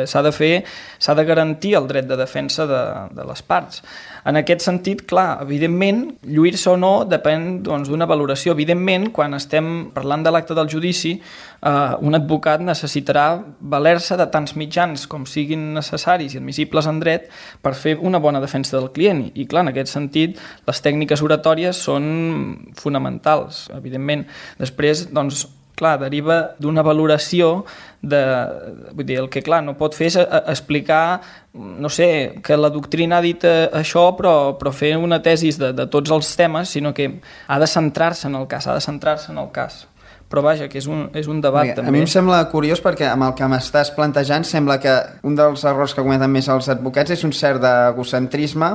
s'ha de garantir el dret de defensa de les parts. En aquest sentit, clar, evidentment, lluir-se o no depèn d'una valoració. Evidentment, quan estem parlant de l'acte del judici, un advocat necessitarà valer-se de tants mitjans com siguin necessaris i admissibles en dret per fer una bona defensa del client. I clar, en aquest sentit, les tècniques oratòries són fonamentals, evidentment. Després, doncs, clar, deriva d'una valoració vull dir, el que clar no pot fer és explicar, no sé, que la doctrina ha dit això però fer una tesis de tots els temes, sinó que ha de centrar-se en el cas, però vaja, que és un debat també. A mi em sembla curiós perquè amb el que m'estàs plantejant sembla que un dels errors que cometen més els advocats és un cert d'egocentrisme,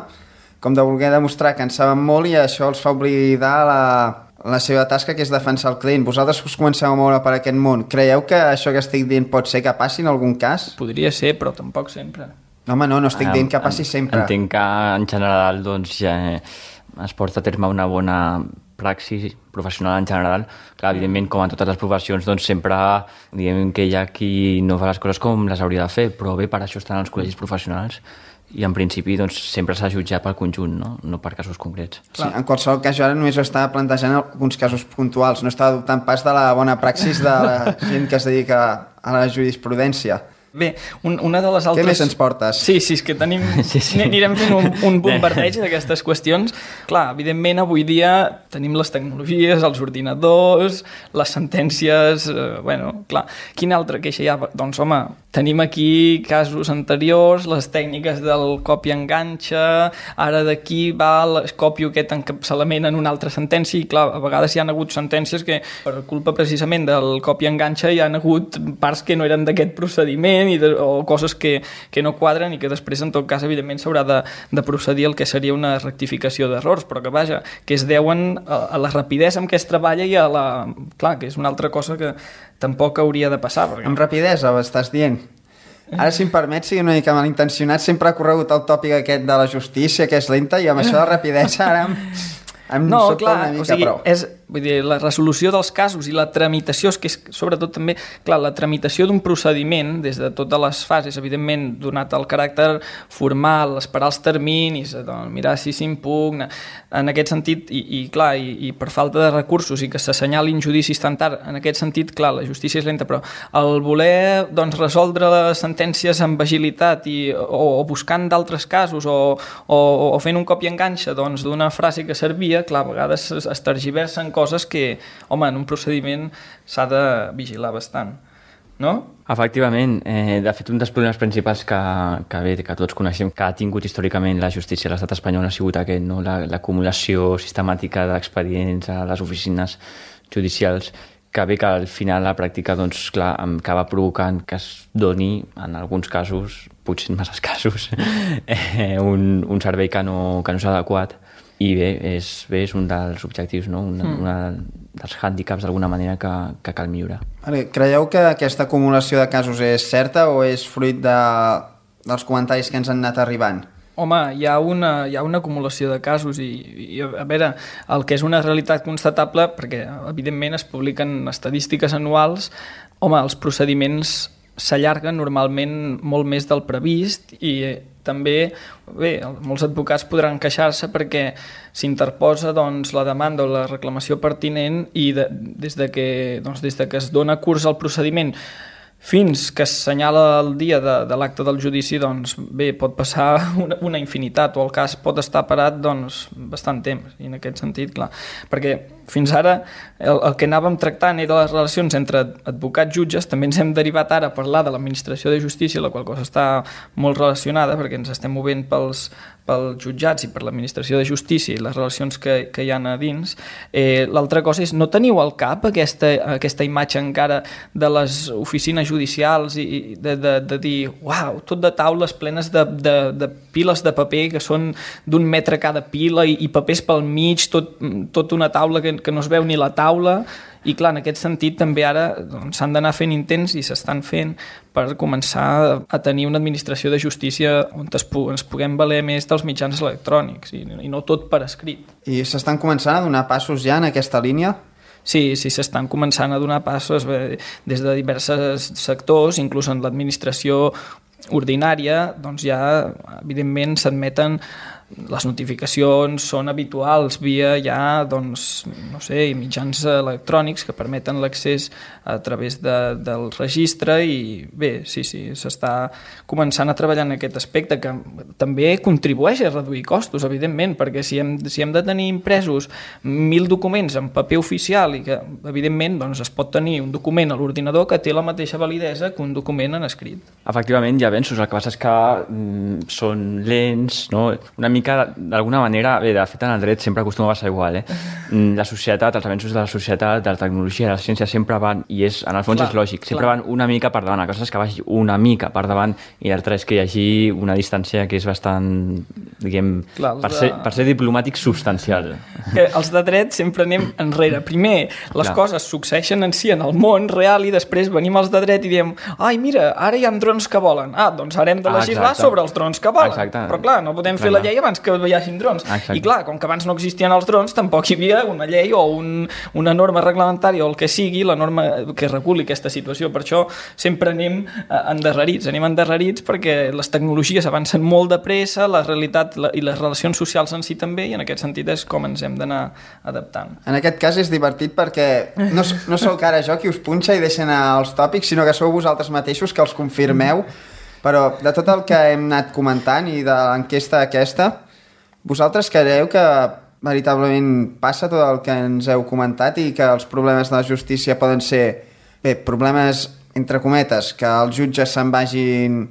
com de voler demostrar que en saben molt i això els fa oblidar la seva tasca, que és defensar el client. Vosaltres us comenceu a moure per aquest món. Creieu que això que estic dient pot ser que passi en algun cas? Podria ser, però tampoc sempre. No, home, no estic dient que passi sempre. Entenc que en general doncs, ja es porta a terme una bona praxis professional en general. Clar, evidentment, com en totes les professions, doncs sempre diem que hi ha qui no fa les coses com les hauria de fer, però bé, per això estan els col·legis professionals i en principi doncs, sempre s'ha de jutjar pel conjunt, no per casos concrets. Sí, en qualsevol cas, jo ara només estava plantejant alguns casos puntuals, no estava dubtant pas de la bona praxis de la gent que es dedica a la jurisprudència. Bé, una de les altres... Què més ens portes? Sí, és que tenim... Anirem fent un bombardeig d'aquestes qüestions. Clar, evidentment, avui dia tenim les tecnologies, els ordinadors, les sentències... clar, quina altra queixa hi ha? Doncs, home, tenim aquí casos anteriors, les tècniques del copia-enganxa, ara d'aquí va copio aquest encapçalament en una altra sentència i, clar, a vegades hi ha hagut sentències que, per culpa precisament del copia-enganxa, hi ha hagut parts que no eren d'aquest procediment o coses que no quadren i que després, en tot cas, evidentment s'haurà de procedir al que seria una rectificació d'errors, però que, vaja, que es deuen a la rapidesa amb què es treballa i a la... Clar, que és una altra cosa que tampoc hauria de passar. Perquè... Amb rapidesa, estàs dient? Ara, si em permet, sigui una mica malintencionat, sempre ha corregut el tòpic aquest de la justícia, que és lenta, i amb això de rapidesa ara em sobta una mica prou. Vull dir, la resolució dels casos i la tramitació, és que és sobretot també, clar, la tramitació d'un procediment des de totes les fases, evidentment, donat el caràcter formal, esperar els terminis, mirar si s'impugna, en aquest sentit, i clar, i per falta de recursos i que s'assenyalin judicis tan tard, en aquest sentit, clar, la justícia és lenta, però el voler, doncs, resoldre les sentències amb agilitat o buscant d'altres casos o fent un copia-enganxa, doncs, d'una frase que servia, clar, a vegades es tergiversen coses que, home, en un procediment s'ha de vigilar bastant, no? Efectivament, de fet un dels problemes principals que tots coneixem que ha tingut històricament la justícia a l'estat espanyol ha sigut aquest, no? L'acumulació sistemàtica d'expedients a les oficines judicials, que bé que al final la pràctica, doncs, clar, acaba provocant que es doni, en alguns casos, potser en masses casos, un servei que no és adequat. I bé, és un dels objectius, no? Un dels hàndicaps d'alguna manera que cal millorar. Creieu que aquesta acumulació de casos és certa o és fruit dels comentaris que ens han anat arribant? Home, hi ha una acumulació de casos i a veure, el que és una realitat constatable, perquè evidentment es publiquen estadístiques anuals, home, els procediments s'allarguen normalment molt més del previst i també, bé, molts advocats podran queixar-se perquè s'interposa, doncs, la demanda o la reclamació pertinent i des que es dona curs al procediment fins que es senyala el dia de l'acte del judici, doncs bé, pot passar una infinitat o el cas pot estar parat doncs bastant temps, i en aquest sentit, clar, perquè fins ara el que anàvem tractant era les relacions entre advocats-jutges, també ens hem derivat ara a parlar de l'administració de justícia, la qual cosa està molt relacionada perquè ens estem movent pels jutjats i per l'administració de justícia i les relacions que hi ha a dins. L'altra cosa és, no teniu al cap aquesta imatge encara de les oficines judicials i de dir, uau, tot de taules plenes de piles de paper que són d'1 metre cada pila i papers pel mig, tot una taula que no es veu ni la taula. I clar, en aquest sentit també ara s'han d'anar fent intents i s'estan fent per començar a tenir una administració de justícia on ens puguem valer més dels mitjans electrònics i no tot per escrit. I s'estan començant a donar passos ja en aquesta línia? Sí, s'estan començant a donar passos des de diversos sectors, inclús en l'administració ordinària, doncs ja evidentment s'admeten les notificacions, són habituals via ja, doncs, no sé, mitjans electrònics que permeten l'accés a través del registre i bé, sí, s'està començant a treballar en aquest aspecte que també contribueix a reduir costos, evidentment, perquè si hem de tenir impresos 1.000 documents en paper oficial i que, evidentment, doncs es pot tenir un document a l'ordinador que té la mateixa validesa que un document en escrit. Efectivament, hi ha avenços, el que passa és que són lents, no? Una mica d'alguna manera, bé, de fet en el dret sempre acostuma a passar igual, la societat, els avenços de la societat, de la tecnologia, de la ciència sempre van, i en el fons és lògic, sempre van una mica per davant, la cosa és que vagi una mica per davant i l'altra és que hi hagi una distància que és bastant, diguem, per ser diplomàtic, substancial. Que els de dret sempre anem enrere. Primer, les coses succeeixen en si en el món real i després venim els de dret i diem, ai, mira, ara hi ha drons que volen. Doncs ara hem de legislar sobre els drons que volen. Exacte. Però clar, no podem fer la llei abans abans que hi hagin drons. Exacte. I clar, com que abans no existien els drons, tampoc hi havia una llei o una norma reglamentària o el que sigui, la norma que reguli aquesta situació. Per això sempre anem endarrerits perquè les tecnologies avancen molt de pressa, la realitat i les relacions socials en si també, i en aquest sentit és com ens hem d'anar adaptant. En aquest cas és divertit perquè no sou que ara jo qui us punxa i deixa anar els tòpics, sinó que sou vosaltres mateixos que els confirmeu. Però de tot el que hem anat comentant i de l'enquesta aquesta, vosaltres creieu que veritablement passa tot el que ens heu comentat i que els problemes de la justícia poden ser, problemes entre cometes, que els jutges se'n vagin,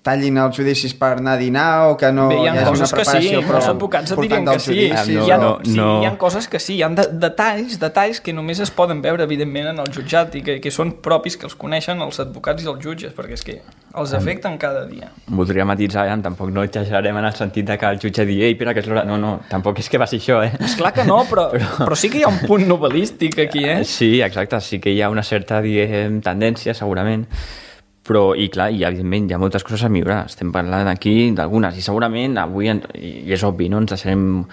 tallin els judicis per anar a dinar o que no hi hagi una preparació però els advocats et dirien que sí. Hi ha coses que sí, hi ha detalls que només es poden veure evidentment en el jutjat i que són propis, que els coneixen els advocats i els jutges, perquè és que els afecten cada dia. Voldria matisar, tampoc no exagerarem en el sentit de que el jutge digui ei, que és l'hora... No, tampoc és que va ser això, Esclar que no, però sí que hi ha un punt novel·lístic aquí, Sí, exacte, sí que hi ha una certa, tendència, segurament, però, i clar, evidentment hi ha moltes coses a millorar, estem parlant aquí d'algunes, i segurament avui, i és obvi, no ens deixarem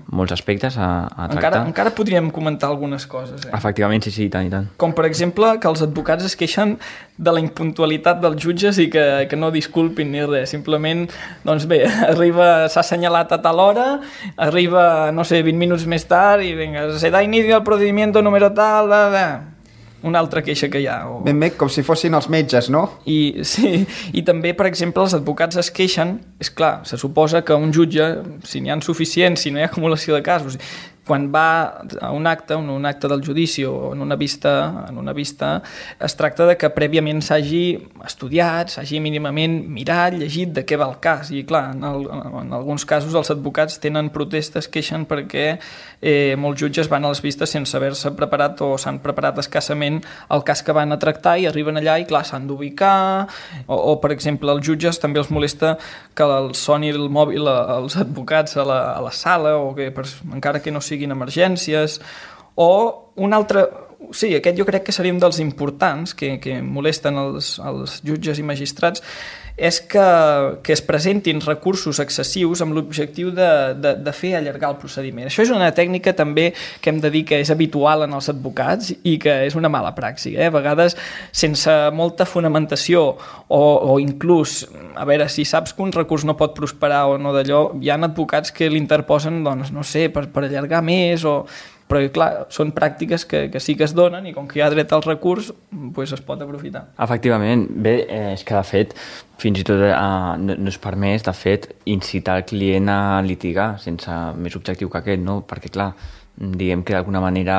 molts aspectes a tractar. Encara podríem comentar algunes coses. Efectivament, sí, i tant. Com, per exemple, que els advocats es queixen de la impuntualitat dels jutges i que no disculpin ni res, simplement, doncs bé, s'ha assenyalat a tal hora, arriba, 20 minuts més tard, i vinga, se da inicio al procedimiento número tal, una altra queixa que hi ha. Ben bé, com si fossin els metges, no? I també, per exemple, els advocats es queixen, és clar, se suposa que un jutge, si n'hi ha suficients, si no hi ha acumulació de casos, quan va a un acte del judici o en una vista, es tracta de que prèviament s'hagi estudiat, s'hagi mínimament mirat, llegit de què va el cas. I clar, en alguns casos els advocats tenen protestes, queixen perquè molts jutges van a les vistes sense haver-se preparat o s'han preparat escassament el cas que van a tractar i arriben allà i clar, s'han d'ubicar o per exemple, els jutges també els molesta que els soni el mòbil als advocats a la sala o que encara que no siguin emergències o un altre... Sí, aquest jo crec que seria un dels importants que molesten els jutges i magistrats és que es presentin recursos excessius amb l'objectiu de fer allargar el procediment. Això és una tècnica també que hem de dir que és habitual en els advocats i que és una mala praxi. A vegades, sense molta fonamentació o inclús, a veure, si saps que un recurs no pot prosperar o no d'allò, hi ha advocats que l'interposen, doncs, no sé, per allargar més o... Però, clar, són pràctiques que sí que es donen i com que hi ha dret al recurs, doncs es pot aprofitar. Efectivament. Bé, és que, de fet, fins i tot no és permès, de fet, incitar el client a litigar sense més objectiu que aquest, no? Perquè, clar, diguem que d'alguna manera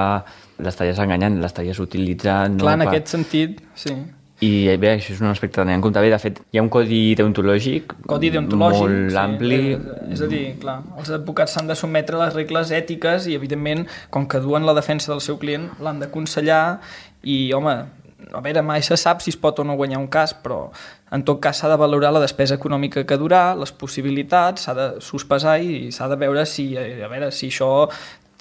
l'estaries enganyant, l'estaries utilitzant... Clar, en aquest sentit, sí. I bé, això és un aspecte a tenir en compte. Bé, de fet, hi ha un codi deontològic molt ampli. És a dir, clar, els advocats s'han de sotmetre a les regles ètiques i, evidentment, com que duen la defensa del seu client, l'han d'aconsellar i, home, a veure, mai se sap si es pot o no guanyar un cas, però en tot cas s'ha de valorar la despesa econòmica que durà, les possibilitats, s'ha de sospesar i s'ha de veure si això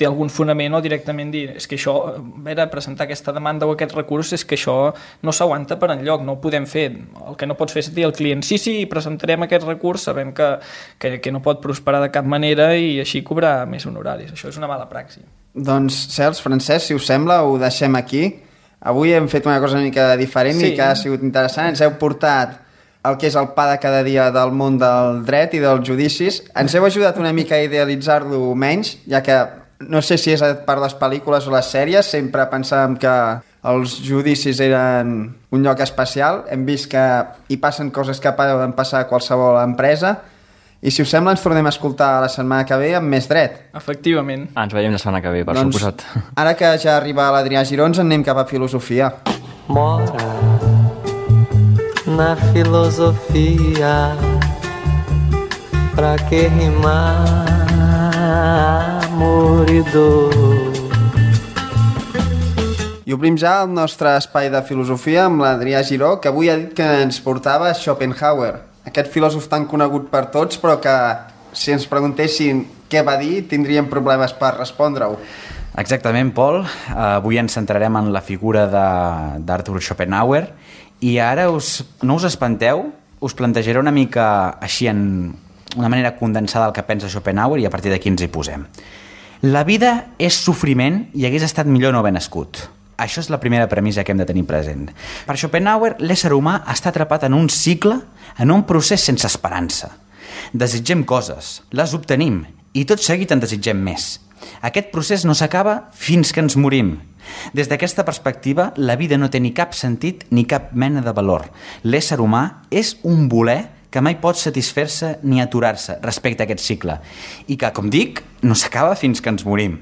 té algun fonament o directament dir és que això, a veure, presentar aquesta demanda o aquest recurs és que això no s'aguanta per enlloc, no ho podem fer. El que no pots fer és dir al client sí, presentarem aquest recurs, sabem que no pot prosperar de cap manera i així cobrar més honoraris. Això és una mala praxi. Doncs, Cels, Francesc, si us sembla, ho deixem aquí. Avui hem fet una cosa una mica diferent i que ha sigut interessant. Ens heu portat el que és el pa de cada dia del món del dret i dels judicis. Ens heu ajudat una mica a idealitzar-lo menys, ja que no sé si és per les pel·lícules o les sèries, sempre pensàvem que els judicis eren un lloc especial. Hem vist que hi passen coses que poden passar a qualsevol empresa. I si us sembla ens tornem a escoltar la setmana que ve amb més dret. Efectivament. Ens veiem la setmana que ve, per suposat. Ara que ja arriba l'Adrià Giró, ens anem cap a filosofia. Mora na filosofia, pra que rimar amor i dor. I obrim ja el nostre espai de filosofia amb l'Adrià Giró, que avui ha dit que ens portava Schopenhauer, aquest filòsof tan conegut per tots, però que si ens preguntessin què va dir, tindríem problemes per respondre-ho. Exactament, Pol. Avui ens centrarem en la figura d'Arthur Schopenhauer i ara no us espanteu, us plantejaré una mica així en una manera condensada del que pensa Schopenhauer i a partir d'aquí ens hi posem. La vida és sofriment i hagués estat millor no haver nascut. Això és la primera premissa que hem de tenir present. Per Schopenhauer, l'ésser humà està atrapat en un cicle, en un procés sense esperança. Desitgem coses, les obtenim i tot seguit en desitgem més. Aquest procés no s'acaba fins que ens morim. Des d'aquesta perspectiva, la vida no té ni cap sentit ni cap mena de valor. L'ésser humà és un voler que mai pot satisfer-se ni aturar-se respecte a aquest cicle i que, com dic, no s'acaba fins que ens morim.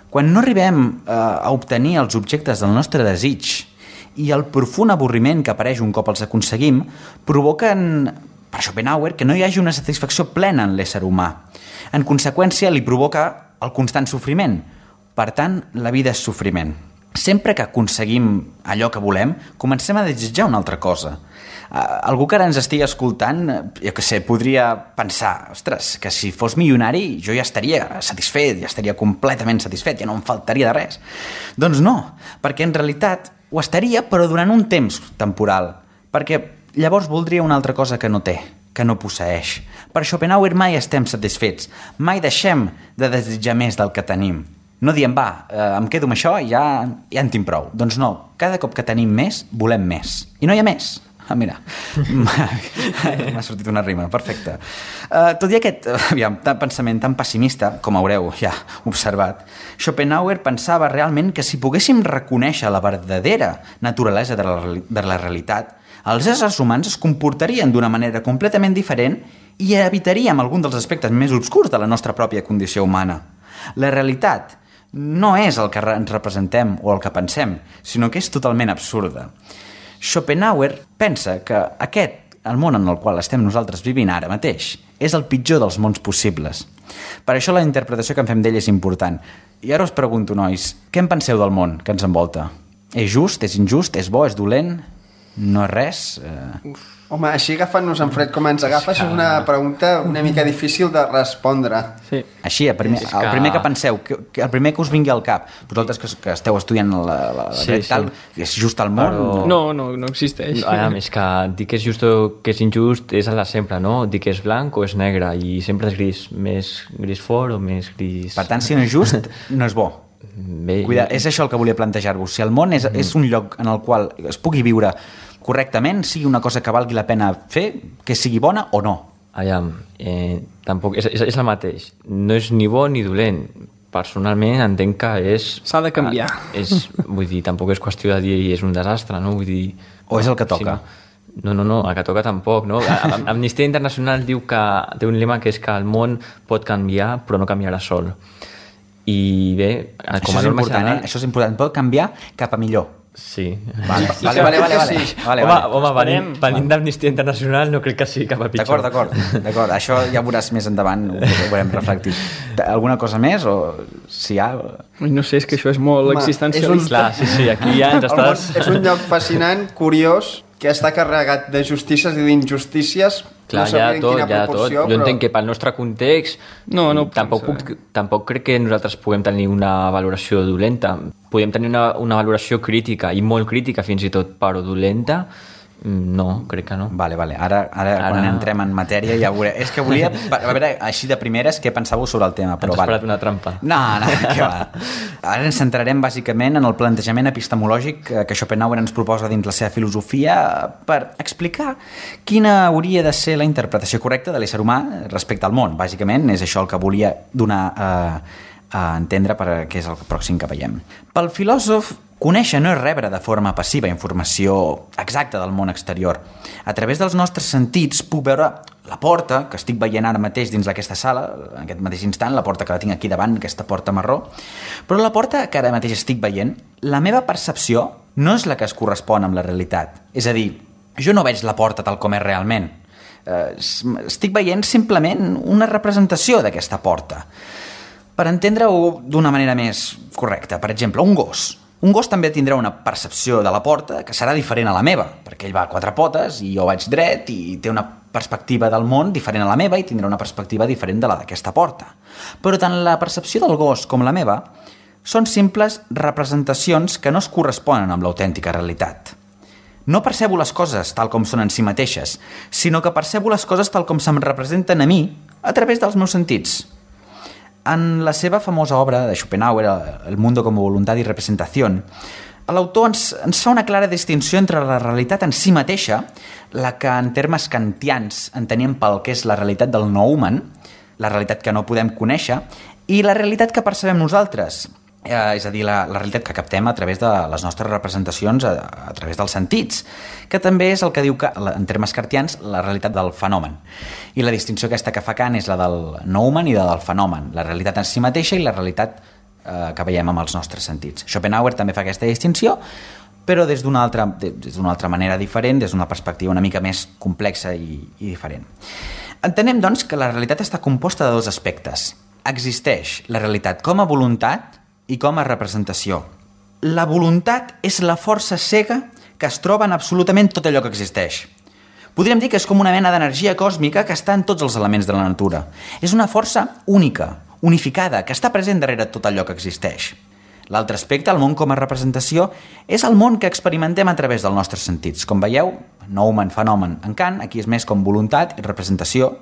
Quan no arribem a obtenir els objectes del nostre desig i el profund avorriment que apareix un cop els aconseguim provoquen, per Schopenhauer, que no hi hagi una satisfacció plena en l'ésser humà. En conseqüència, li provoca el constant sofriment. Per tant, la vida és sofriment. Sempre que aconseguim allò que volem, comencem a desitjar una altra cosa. Algú que ara ens estigui escoltant, jo què sé, podria pensar, ostres, que si fos milionari jo ja estaria satisfet, ja estaria completament satisfet, ja no em faltaria de res. Doncs no, perquè en realitat ho estaria, però durant un temps temporal, perquè llavors voldria una altra cosa que no té, que no posseeix. Per Schopenhauer mai estem satisfets, mai deixem de desitjar més del que tenim. No diem, em quedo amb això i ja en tinc prou. Doncs no, cada cop que tenim més, volem més. I no hi ha més. Mira, m'ha sortit una rima, perfecte. Tot i aquest pensament tan pessimista, com haureu ja observat, Schopenhauer pensava realment que si poguéssim reconèixer la verdadera naturalesa de la realitat, els éssers humans es comportarien d'una manera completament diferent i evitaríem algun dels aspectes més obscurs de la nostra pròpia condició humana. La realitat no és el que ens representem o el que pensem, sinó que és totalment absurda. Schopenhauer pensa que el món en el qual estem nosaltres vivint ara mateix, és el pitjor dels mons possibles. Per això la interpretació que en fem d'ell és important. I ara us pregunto, nois, què en penseu del món que ens envolta? És just? És injust? És bo? És dolent? No és res? Home, així agafant-nos en fred com ens agafa, és una pregunta una mica difícil de respondre. Sí. Així, el primer que penseu, el primer que us vingui al cap, vosaltres que esteu estudiant la dret tal, és just al món? Però... No existeix. És que dir que és just o que és injust és el de sempre, no? Dir que és blanc o és negre, i sempre és gris, més gris fort o més gris... Per tant, si no és just, no és bo. Bé, Cuida, és això el que volia plantejar-vos. Si el món és un lloc en el qual es pugui viure correctament, sigui una cosa que valgui la pena fer, que sigui bona o no. Aviam, tampoc, és el mateix. No és ni bo ni dolent. Personalment entenc que és... S'ha de canviar. Vull dir, tampoc és qüestió de dir és un desastre, no? Vull dir... O és el que toca? Si no, el que toca tampoc, no? Amnistia Internacional diu que té un lema que és que el món pot canviar, però no canviarà sol. I bé, com a norma general... Això és important, pot canviar cap a millor. Sí. Vale. Home, venint d'Amnistia Internacional no crec que sigui cap a pitjor. D'acord. Això ja ho veuràs més endavant, ho veurem reflectit. Alguna cosa més? O si hi ha... No sé, és que això és molt existencialista. Sí, aquí ja ens estàs... És un lloc fascinant, curiós, que està carregat de justícies i d'injustícies. Clar, no sabia en quina proporció, Jo entenc que pel nostre context tampoc crec que nosaltres puguem tenir una valoració dolenta. Podem tenir una valoració crítica, i molt crítica fins i tot, però dolenta, no, crec que no. Vale. Ara quan entrem en matèria ja veuré. És que volia, a veure, així de primeres, què pensàveu sobre el tema? Ens has esperat una trampa. No, què va. Ara ens centrarem bàsicament en el plantejament epistemològic que Schopenhauer ens proposa dins la seva filosofia per explicar quina hauria de ser la interpretació correcta de l'ésser humà respecte al món. Bàsicament és això el que volia donar a entendre què és el pròxim que veiem. Pel filòsof, conèixer no és rebre de forma passiva informació exacta del món exterior. A través dels nostres sentits puc veure la porta que estic veient ara mateix dins d'aquesta sala, en aquest mateix instant, la porta que la tinc aquí davant, aquesta porta marró, però la porta que ara mateix estic veient, la meva percepció no és la que es correspon amb la realitat. És a dir, jo no veig la porta tal com és realment. Estic veient simplement una representació d'aquesta porta. Per entendre-ho d'una manera més correcta, per exemple, un gos. Un gos també tindrà una percepció de la porta que serà diferent a la meva, perquè ell va a 4 potes i jo vaig dret i té una perspectiva del món diferent a la meva i tindrà una perspectiva diferent de la d'aquesta porta. Però tant la percepció del gos com la meva són simples representacions que no es corresponen amb l'autèntica realitat. No percebo les coses tal com són en si mateixes, sinó que percebo les coses tal com se'm representen a mi A través dels meus sentits. En la seva famosa obra de Schopenhauer, El mundo como voluntad y representación, l'autor ens fa una clara distinció entre la realitat en si mateixa, la que en termes kantians entenem pel que és la realitat del noumen, la realitat que no podem conèixer, i la realitat que percebem nosaltres, és a dir, la realitat que captem a través de les nostres representacions, a través dels sentits, que també és el que diu, que, en termes kantians, la realitat del fenomen. I la distinció aquesta que fa Kant és la del noumen i la del fenomen, la realitat en si mateixa i la realitat que veiem amb els nostres sentits. Schopenhauer també fa aquesta distinció, però des d'una altra manera diferent, des d'una perspectiva una mica més complexa i diferent. Entenem, doncs, que la realitat està composta de dos aspectes. Existeix la realitat com a voluntat i com a representació. La voluntat és la força cega que es troba en absolutament tot allò que existeix. Podríem dir que és com una mena d'energia còsmica que està en tots els elements de la natura. És una força única, unificada, que està present darrere tot allò que existeix. L'altre aspecte, el món com a representació, és el món que experimentem a través dels nostres sentits. Com veieu, noumen, fenomen en Kant, aquí és més com voluntat i representació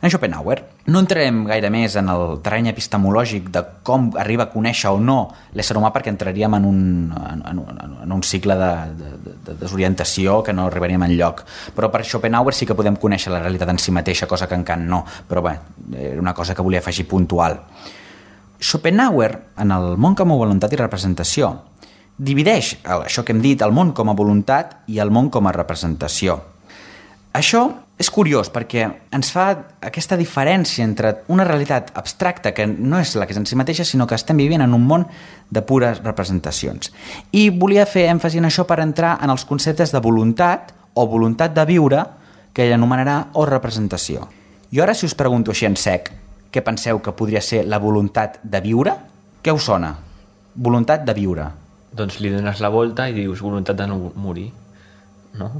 en Schopenhauer. No entrarem gaire més en el terreny epistemològic de com arriba a conèixer o no l'ésser humà, perquè entraríem en un cicle de desorientació que no arribaríem enlloc. Però per Schopenhauer sí que podem conèixer la realitat en si mateixa, cosa que en Kant no. Però bé, era una cosa que volia afegir puntual. Schopenhauer, en el món com a voluntat i representació, divideix això que hem dit, el món com a voluntat i el món com a representació. Això és curiós perquè ens fa aquesta diferència entre una realitat abstracta, que no és la que és en si mateixa, sinó que estem vivint en un món de pures representacions. I volia fer èmfasi en això per entrar en els conceptes de voluntat o voluntat de viure, que ell anomenarà, o representació. I ara, si us pregunto així en sec, què penseu que podria ser la voluntat de viure? Què us sona? Voluntat de viure. Doncs li dones la volta i dius voluntat de no morir, no?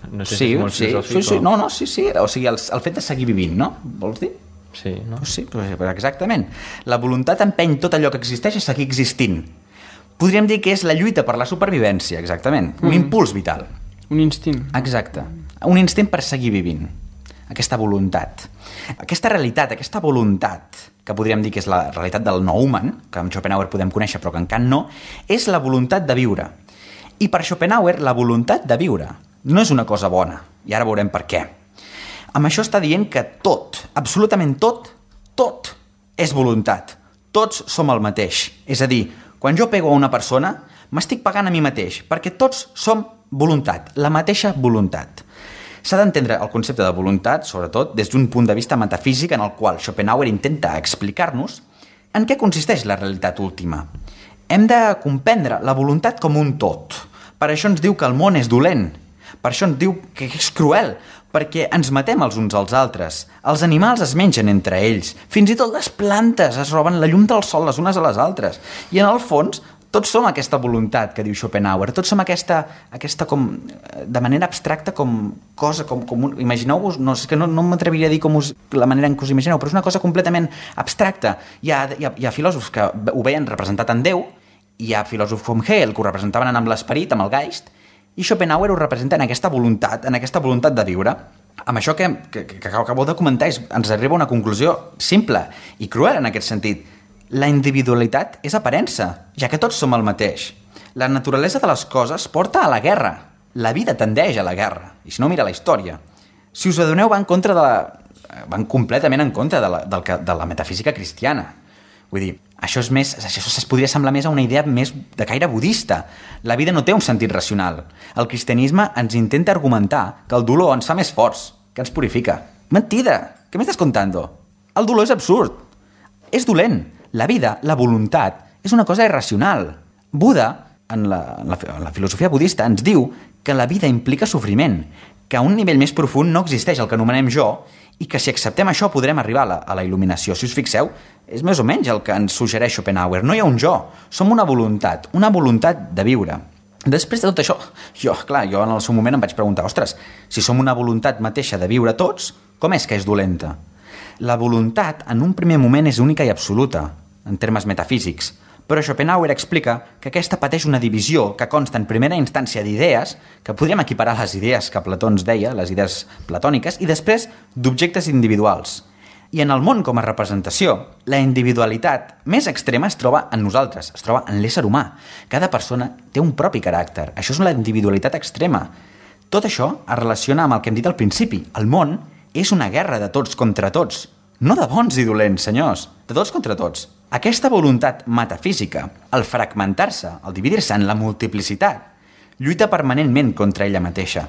No sé sí, si és molt filosòfic. Sí. No, sí. O sigui, el fet de seguir vivint, no? Vols dir? Sí, no? Pues sí, exactament. La voluntat empeny tot allò que existeix a seguir existint. Podríem dir que és la lluita per la supervivència, exactament. Un impuls vital. Un instint. Exacte. Un instint per seguir vivint. Aquesta voluntat. Aquesta realitat, aquesta voluntat, que podríem dir que és la realitat del noumen, que amb Schopenhauer podem conèixer però que en Kant no, és la voluntat de viure. I per Schopenhauer, la voluntat de viure no és una cosa bona, i ara veurem per què. Amb això està dient que tot, absolutament tot és voluntat. Tots som el mateix. És a dir, quan jo pego a una persona, m'estic pagant a mi mateix, perquè tots som voluntat, la mateixa voluntat. S'ha d'entendre el concepte de voluntat, sobretot, des d'un punt de vista metafísic en el qual Schopenhauer intenta explicar-nos en què consisteix la realitat última. Hem de comprendre la voluntat com un tot. Per això ens diu que el món és dolent. Per això ens diu que és cruel, perquè ens matem els uns als altres. Els animals es mengen entre ells. Fins i tot les plantes es roben la llum del sol les unes a les altres. I en el fons, tots som aquesta voluntat que diu Schopenhauer. Tots som aquesta com, de manera abstracta, com cosa, imagineu-vos, no m'atreviria a dir la manera en què us imagineu, però és una cosa completament abstracta. Hi ha filòsofs que ho veien representat en Déu, hi ha filòsofs com Hegel que ho representaven amb l'esperit, amb el Geist, i Schopenhauer ho representa en aquesta voluntat de viure. Amb això que acabo de comentar ens arriba a una conclusió simple i cruel en aquest sentit. La individualitat és aparença, ja que tots som el mateix. La naturalesa de les coses porta a la guerra. La vida tendeix a la guerra. I si no, mira la història. Si us adoneu, van completament en contra de la metafísica cristiana. Vull dir, això es podria semblar més a una idea més de caire budista. La vida no té un sentit racional. El cristianisme ens intenta argumentar que el dolor ens fa més forts, que ens purifica. Mentida! Què m'estàs contando? El dolor és absurd. És dolent. La vida, la voluntat, és una cosa irracional. Buda, en la filosofia budista, ens diu que la vida implica sofriment, que a un nivell més profund no existeix el que anomenem jo, i que si acceptem això podrem arribar a la il·luminació. Si us fixeu, és més o menys el que ens suggereix Schopenhauer. No hi ha un jo, som una voluntat de viure. Després de tot això, jo en el seu moment em vaig preguntar, ostres, si som una voluntat mateixa de viure tots, com és que és dolenta? La voluntat en un primer moment és única i absoluta, en termes metafísics, però Schopenhauer explica que aquesta pateix una divisió que consta en primera instància d'idees, que podríem equiparar a les idees que Plató ens deia, les idees platòniques, i després d'objectes individuals. I en el món com a representació, la individualitat més extrema es troba en nosaltres, es troba en l'ésser humà. Cada persona té un propi caràcter. Això és la individualitat extrema. Tot això es relaciona amb el que hem dit al principi. El món és una guerra de tots contra tots. No de bons i dolents, senyors. De tots contra tots. Aquesta voluntat metafísica, el fragmentar-se, el dividir-se en la multiplicitat, lluita permanentment contra ella mateixa.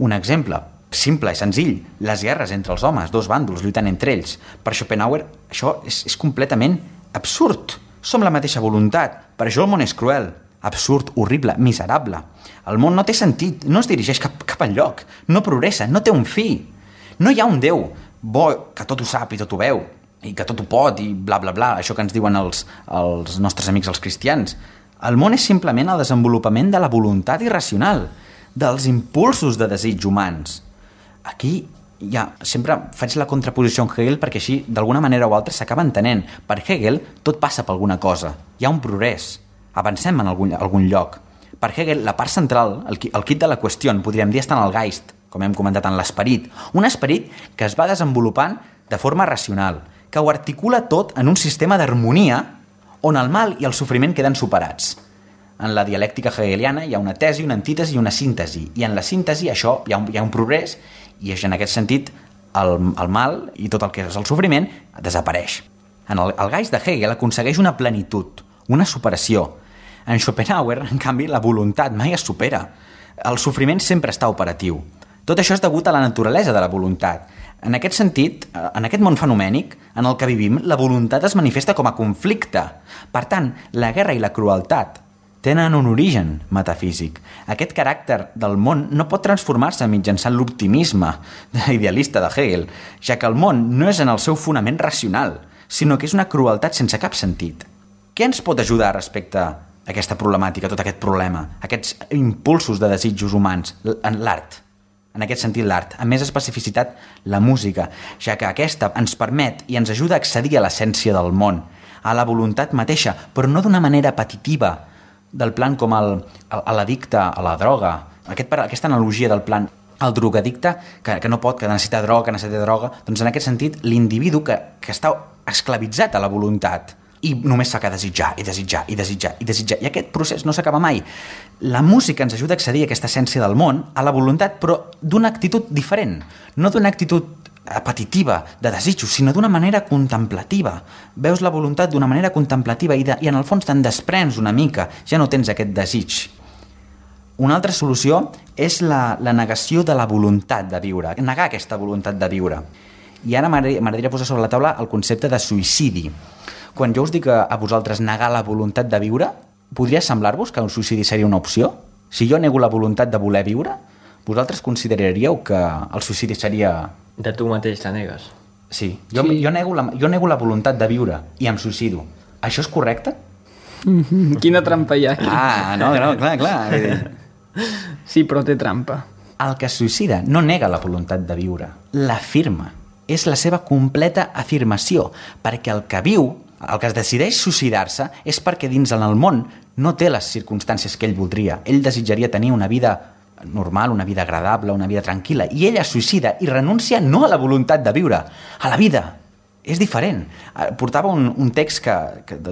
Un exemple simple i senzill, les guerres entre els homes, dos bàndols lluitant entre ells. Per Schopenhauer, això és completament absurd. Som la mateixa voluntat, per això el món és cruel, absurd, horrible, miserable. El món no té sentit, no es dirigeix cap enlloc, no progressa, no té un fi. No hi ha un Déu bo que tot ho sap i tot ho veu, i que tot ho pot, i bla, bla, bla, això que ens diuen els nostres amics els cristians. El món és simplement el desenvolupament de la voluntat irracional, dels impulsos de desig humans. Aquí sempre faig la contraposició amb Hegel perquè així, d'alguna manera o altra, s'acaba entenent. Per Hegel, tot passa per alguna cosa. Hi ha un progrés. Avancem en algun lloc. Per Hegel, la part central, el quid de la qüestió, podríem dir, està en el Geist, com hem comentat, en l'esperit. Un esperit que es va desenvolupant de forma racional, que ho articula tot en un sistema d'harmonia on el mal i el sofriment queden superats. En la dialèctica hegeliana hi ha una tesi, una antítesi i una síntesi. I en la síntesi això hi ha un progrés i en aquest sentit el mal i tot el que és el sofriment desapareix. El Geist de Hegel aconsegueix una plenitud, una superació. En Schopenhauer, en canvi, la voluntat mai es supera. El sofriment sempre està operatiu. Tot això és degut a la naturalesa de la voluntat. En aquest sentit, en aquest món fenomènic en el que vivim, la voluntat es manifesta com a conflicte. Per tant, la guerra i la crueltat tenen un origen metafísic. Aquest caràcter del món no pot transformar-se mitjançant l'optimisme idealista de Hegel, ja que el món no és en el seu fonament racional, sinó que és una crueltat sense cap sentit. Què ens pot ajudar respecte a aquesta problemàtica, tot aquest problema, aquests impulsos de desitjos humans? L'art. En aquest sentit, l'art. Amb més especificitat, la música, ja que aquesta ens permet i ens ajuda a accedir a l'essència del món, a la voluntat mateixa, però no d'una manera apetitiva, del plan com l'addicte a la droga. Aquesta analogia del plan el drogadicte que no pot, que necessita droga, doncs en aquest sentit l'individu que està esclavitzat a la voluntat i només fa que desitjar, i desitjar, i desitjar, i desitjar, i aquest procés no s'acaba mai. La música ens ajuda a accedir a aquesta essència del món, a la voluntat, però d'una actitud diferent, no d'una actitud apetitiva, de desitjos, sinó d'una manera contemplativa. Veus la voluntat d'una manera contemplativa i en el fons te'n desprens una mica, ja no tens aquest desig. Una altra solució és la negació de la voluntat de viure, negar aquesta voluntat de viure. I ara m'agradaria posar sobre la taula el concepte de suïcidi. Quan jo us dic a vosaltres negar la voluntat de viure, podria semblar-vos que un suïcidi seria una opció? Si jo nego la voluntat de voler viure, vosaltres consideraríeu que el suïcidi seria... De tu mateix la negues. Sí, jo nego la voluntat de viure i em suïcido. Això és correcte? Quina trampa hi ha aquí. No, clar. Sí, però té trampa. El que es suïcida no nega la voluntat de viure, l'afirma. És la seva completa afirmació, perquè el que viu, el que es decideix suïcidar-se, és perquè dins en el món no té les circumstàncies que ell voldria. Ell desitjaria tenir una vida normal, una vida agradable, una vida tranquil·la, i ella es suïcida i renuncia no a la voluntat de viure, a la vida. És diferent. Portava un text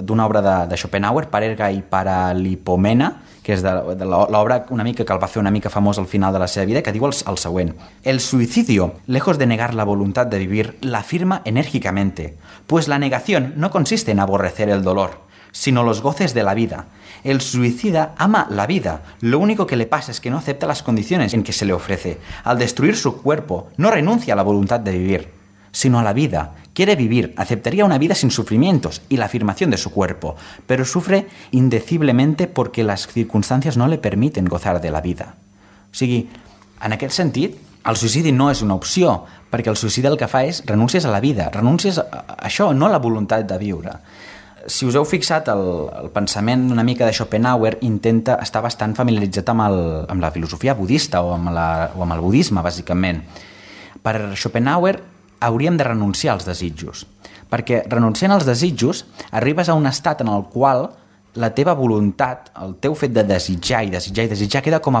d'una obra de Schopenhauer, Parerga i Paralipomena, que és de l'obra una mica que el va fer una mica famós al final de la seva vida, que diu el següent: el suicidio, lejos de negar la voluntad de vivir, la afirma enérgicamente, pues la negación no consiste en aborrecer el dolor, sino los goces de la vida. El suicida ama la vida, lo único que le pasa es que no acepta las condiciones en que se le ofrece. Al destruir su cuerpo, no renuncia a la voluntad de vivir, sino a la vida. Quiere vivir, aceptaría una vida sin sufrimientos y la afirmación de su cuerpo, pero sufre indeciblemente porque las circunstancias no le permiten gozar de la vida. O sigui, en aquest sentit, el suïcidi no és una opció, perquè el suïcidi el que fa és renúncies a la vida, renúncies a això, no a la voluntat de viure. Si us heu fixat, el pensament una mica de Schopenhauer intenta estar bastant familiaritzat amb la filosofia budista o amb el budisme, bàsicament. Per Schopenhauer hauríem de renunciar als desitjos, perquè renunciant als desitjos arribes a un estat en el qual la teva voluntat, el teu fet de desitjar i desitjar i desitjar queda com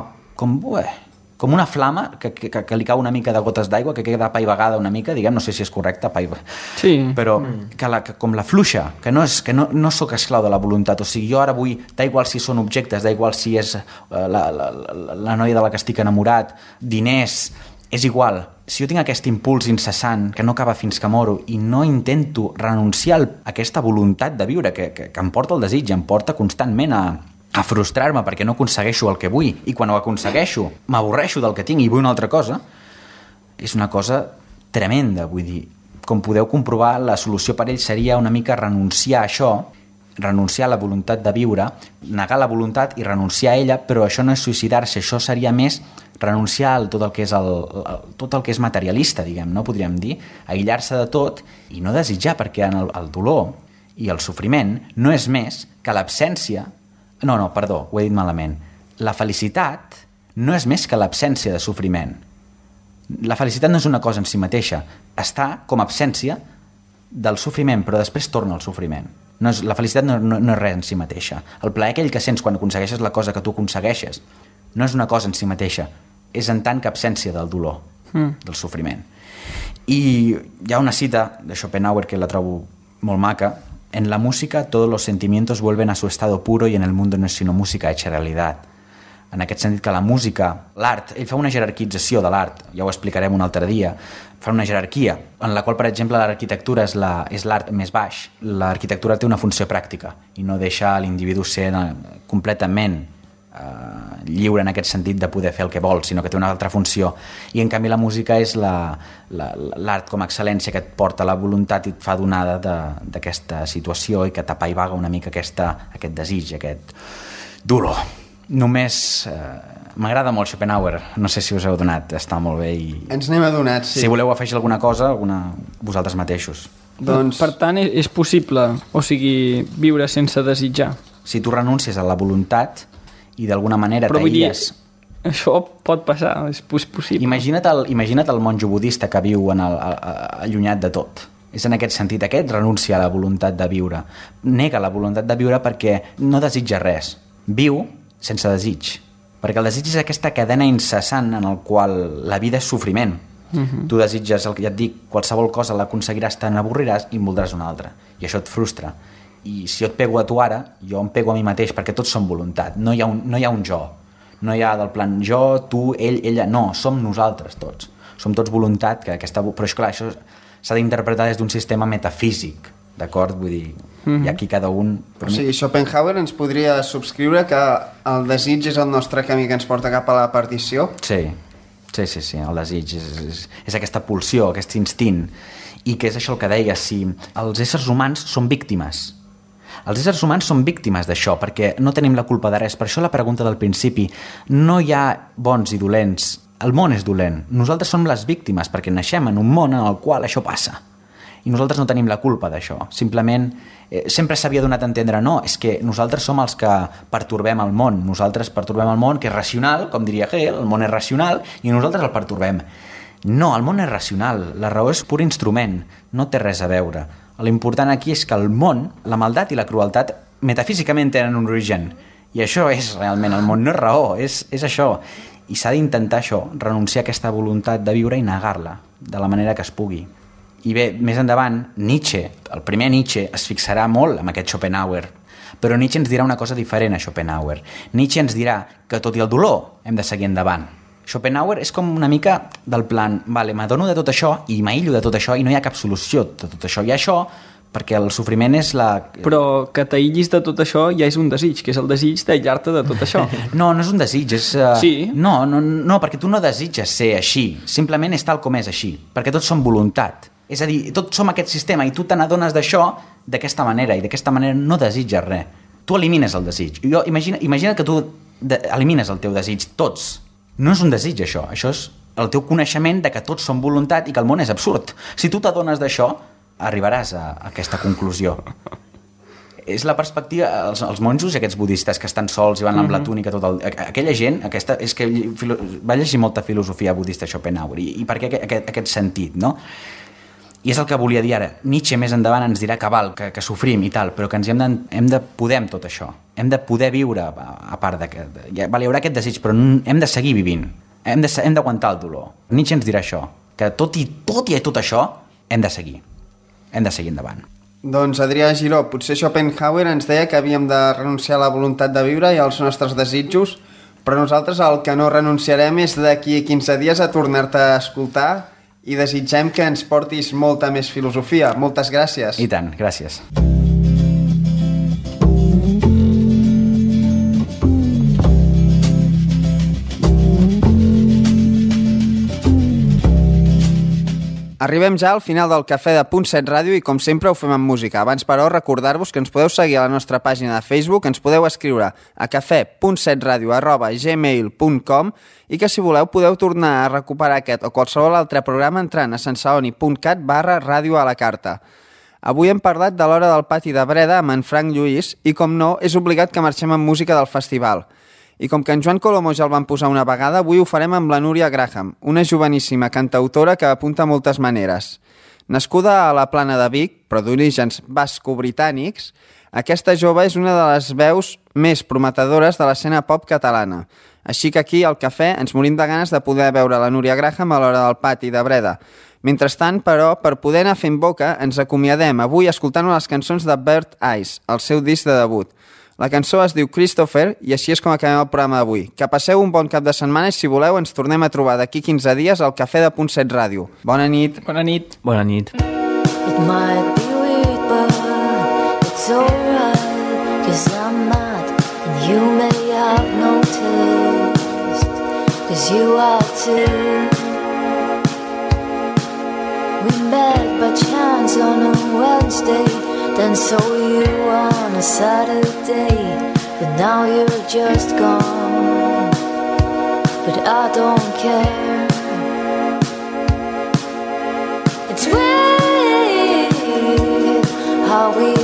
com una flama que li cau una mica de gotes d'aigua, que queda apaivagada una mica, diguem, no sé si és correcte, sí. Però que com la fluixa, que no sóc esclau de la voluntat, o sigui, jo ara vull, da igual si són objectes, da igual si és la noia de la que estic enamorat, diners, és igual. Si jo tinc aquest impuls incessant que no acaba fins que moro i no intento renunciar a aquesta voluntat de viure que em porta el desig, em porta constantment a frustrar-me perquè no aconsegueixo el que vull, i quan ho aconsegueixo m'avorreixo del que tinc i vull una altra cosa, és una cosa tremenda. Vull dir, com podeu comprovar, la solució per ell seria una mica renunciar a això, renunciar a la voluntat de viure, negar la voluntat i renunciar a ella, però això no és suïcidar-se, això seria més renunciar a tot el que és materialista, diguem, no podríem dir, aïllar-se de tot i no desitjar, perquè el dolor i el sofriment no és més que l'absència. No, perdó, ho he dit malament. La felicitat no és més que l'absència de sofriment. La felicitat no és una cosa en si mateixa, està com a absència del sofriment, però després torna al sofriment. La felicitat no és res en si mateixa. El plaer aquell que sents quan aconsegueixes la cosa que tu aconsegueixes no és una cosa en si mateixa, és en tant que absència del dolor, del sofriment. I hi ha una cita de Schopenhauer que la trobo molt maca: en la música todos los sentimientos vuelven a su estado puro y en el mundo no es sino música hecha realidad. En aquest sentit que la música, l'art, ell fa una jerarquització de l'art, ja ho explicarem un altre dia, fa una jerarquia en la qual, per exemple, l'arquitectura és l'art més baix. L'arquitectura té una funció pràctica i no deixa l'individu ser completament lliure en aquest sentit de poder fer el que vol, sinó que té una altra funció. I en canvi la música és l'art com a excel·lència que et porta la voluntat i et fa donada d'aquesta situació i que t'apaivaga una mica aquest desig, aquest dolor. Només m'agrada molt Schopenhauer, no sé si us heu donat, està molt bé i ens n'hem adonat, sí. Si voleu afegir alguna cosa, vosaltres mateixos. Doncs... Per tant, és possible, o sigui, viure sense desitjar. Si tu renuncies a la voluntat i d'alguna manera t'aïlles... Això pot passar, és possible. Imagina't el monjo budista que viu allunyat de tot. És en aquest sentit, aquest renuncia a la voluntat de viure. Nega la voluntat de viure perquè no desitja res. Viu sense desig. Perquè el desig és aquesta cadena incessant en el qual la vida és sofriment. Tu desitges, ja et dic, qualsevol cosa l'aconseguiràs, te n'avorriràs i en voldràs una altra. I això et frustra. I si jo et pego a tu ara, jo em pego a mi mateix, perquè tots som voluntat. No hi ha un jo. No hi ha del plan jo, tu, ell, ella. No, som nosaltres tots. Som tots voluntat. Però és clar, això s'ha d'interpretar des d'un sistema metafísic, d'acord? Vull dir, i aquí cada un... O sigui, Schopenhauer ens podria subscriure que el desig és el nostre camí que ens porta cap a la perdició? Sí, el desig és aquesta pulsió, aquest instint, i que és això el que deia, si els éssers humans són víctimes. Els éssers humans són víctimes d'això, perquè no tenim la culpa de res. Per això la pregunta del principi, no hi ha bons i dolents, el món és dolent. Nosaltres som les víctimes, perquè naixem en un món en el qual això passa. I nosaltres no tenim la culpa d'això. Simplement, sempre s'havia donat a entendre, no, és que nosaltres som els que pertorbem el món. Nosaltres pertorbem el món, que és racional, com diria Hegel, el món és racional, i nosaltres el pertorbem. No, el món és racional, la raó és pur instrument, no té res a veure. L'important aquí és que el món, la maldat i la crueltat, metafísicament tenen un origen. I això és realment, el món no és raó, és això. I s'ha d'intentar això, renunciar a aquesta voluntat de viure i negar-la, de la manera que es pugui. I bé, més endavant, Nietzsche, el primer Nietzsche, es fixarà molt amb aquest Schopenhauer. Però Nietzsche ens dirà una cosa diferent a Schopenhauer. Nietzsche ens dirà que tot i el dolor hem de seguir endavant. Schopenhauer és com una mica del plan, vale, m'adono de tot això i m'aïllo de tot això i no hi ha cap solució de tot això. Hi ha això perquè el sofriment és la... Però que t'aïllis de tot això ja és un desig, que és el desig d'aïllar-te de tot això. No és un desig, és... Sí? No, perquè tu no desitges ser així, simplement és tal com és així, perquè tots som voluntat. És a dir, tots som aquest sistema i tu te n'adones d'això d'aquesta manera i d'aquesta manera no desitges res. Tu elimines el desig. Imagina que tu elimines el teu desig, tots. No és un desig, això és el teu coneixement de que tots som voluntat i que el món és absurd. Si tu t'adones d'això, arribaràs a aquesta conclusió. És la perspectiva, els monjos i aquests budistes que estan sols i van amb la túnica, aquella gent, és que va llegir molta filosofia budista Schopenhauer, i per què aquest sentit, no? I és el que volia dir ara. Nietzsche més endavant ens dirà que sofrim i tal, però que hem de poder amb tot això. Hem de poder viure a part de que... Hi haurà aquest desig, però hem de seguir vivint. hem d'aguantar el dolor. Nietzsche ens dirà això, que tot i tot això hem de seguir endavant. Doncs Adrià Giró, potser Schopenhauer ens deia que havíem de renunciar a la voluntat de viure i als nostres desitjos, però nosaltres el que no renunciarem és d'aquí 15 dies a tornar-te a escoltar i desitgem que ens portis molta més filosofia. Moltes gràcies. I tant, gràcies. Arribem ja al final del Cafè de Punt 7 Ràdio i com sempre ho fem amb música. Abans, però, recordar-vos que ens podeu seguir a la nostra pàgina de Facebook, ens podeu escriure a cafè.setradio@gmail.com i que si voleu podeu tornar a recuperar aquest o qualsevol altre programa entrant a sensaoni.cat/ràdio a la carta. Avui hem parlat de l'Hora del Pati de Breda amb en Frank Lluís i, com no, és obligat que marxem amb música del festival. I com que en Joan Colomo ja el van posar una vegada, avui ho farem amb la Núria Graham, una joveníssima cantautora que apunta moltes maneres. Nascuda a la Plana de Vic, però d'orígens basco-britànics, aquesta jove és una de les veus més prometedores de l'escena pop catalana. Així que aquí, al cafè, ens morim de ganes de poder veure la Núria Graham a l'Hora del Pati de Breda. Mentrestant, però, per poder anar fent boca, ens acomiadem avui escoltant les cançons de Bird Eyes, el seu disc de debut. La cançó es diu Christopher i així és com acabem el programa d'avui. Que passeu un bon cap de setmana i, si voleu, ens tornem a trobar d'aquí 15 dies al Cafè de Punt 7 Ràdio. Bona nit. Bona nit. Bona nit. It might be weird, but it's alright, 'cause I'm not, and you may have noticed, 'cause you are too. We met by chance on a Wednesday, then saw you on a Saturday, but now you're just gone, but I don't care. It's weird how we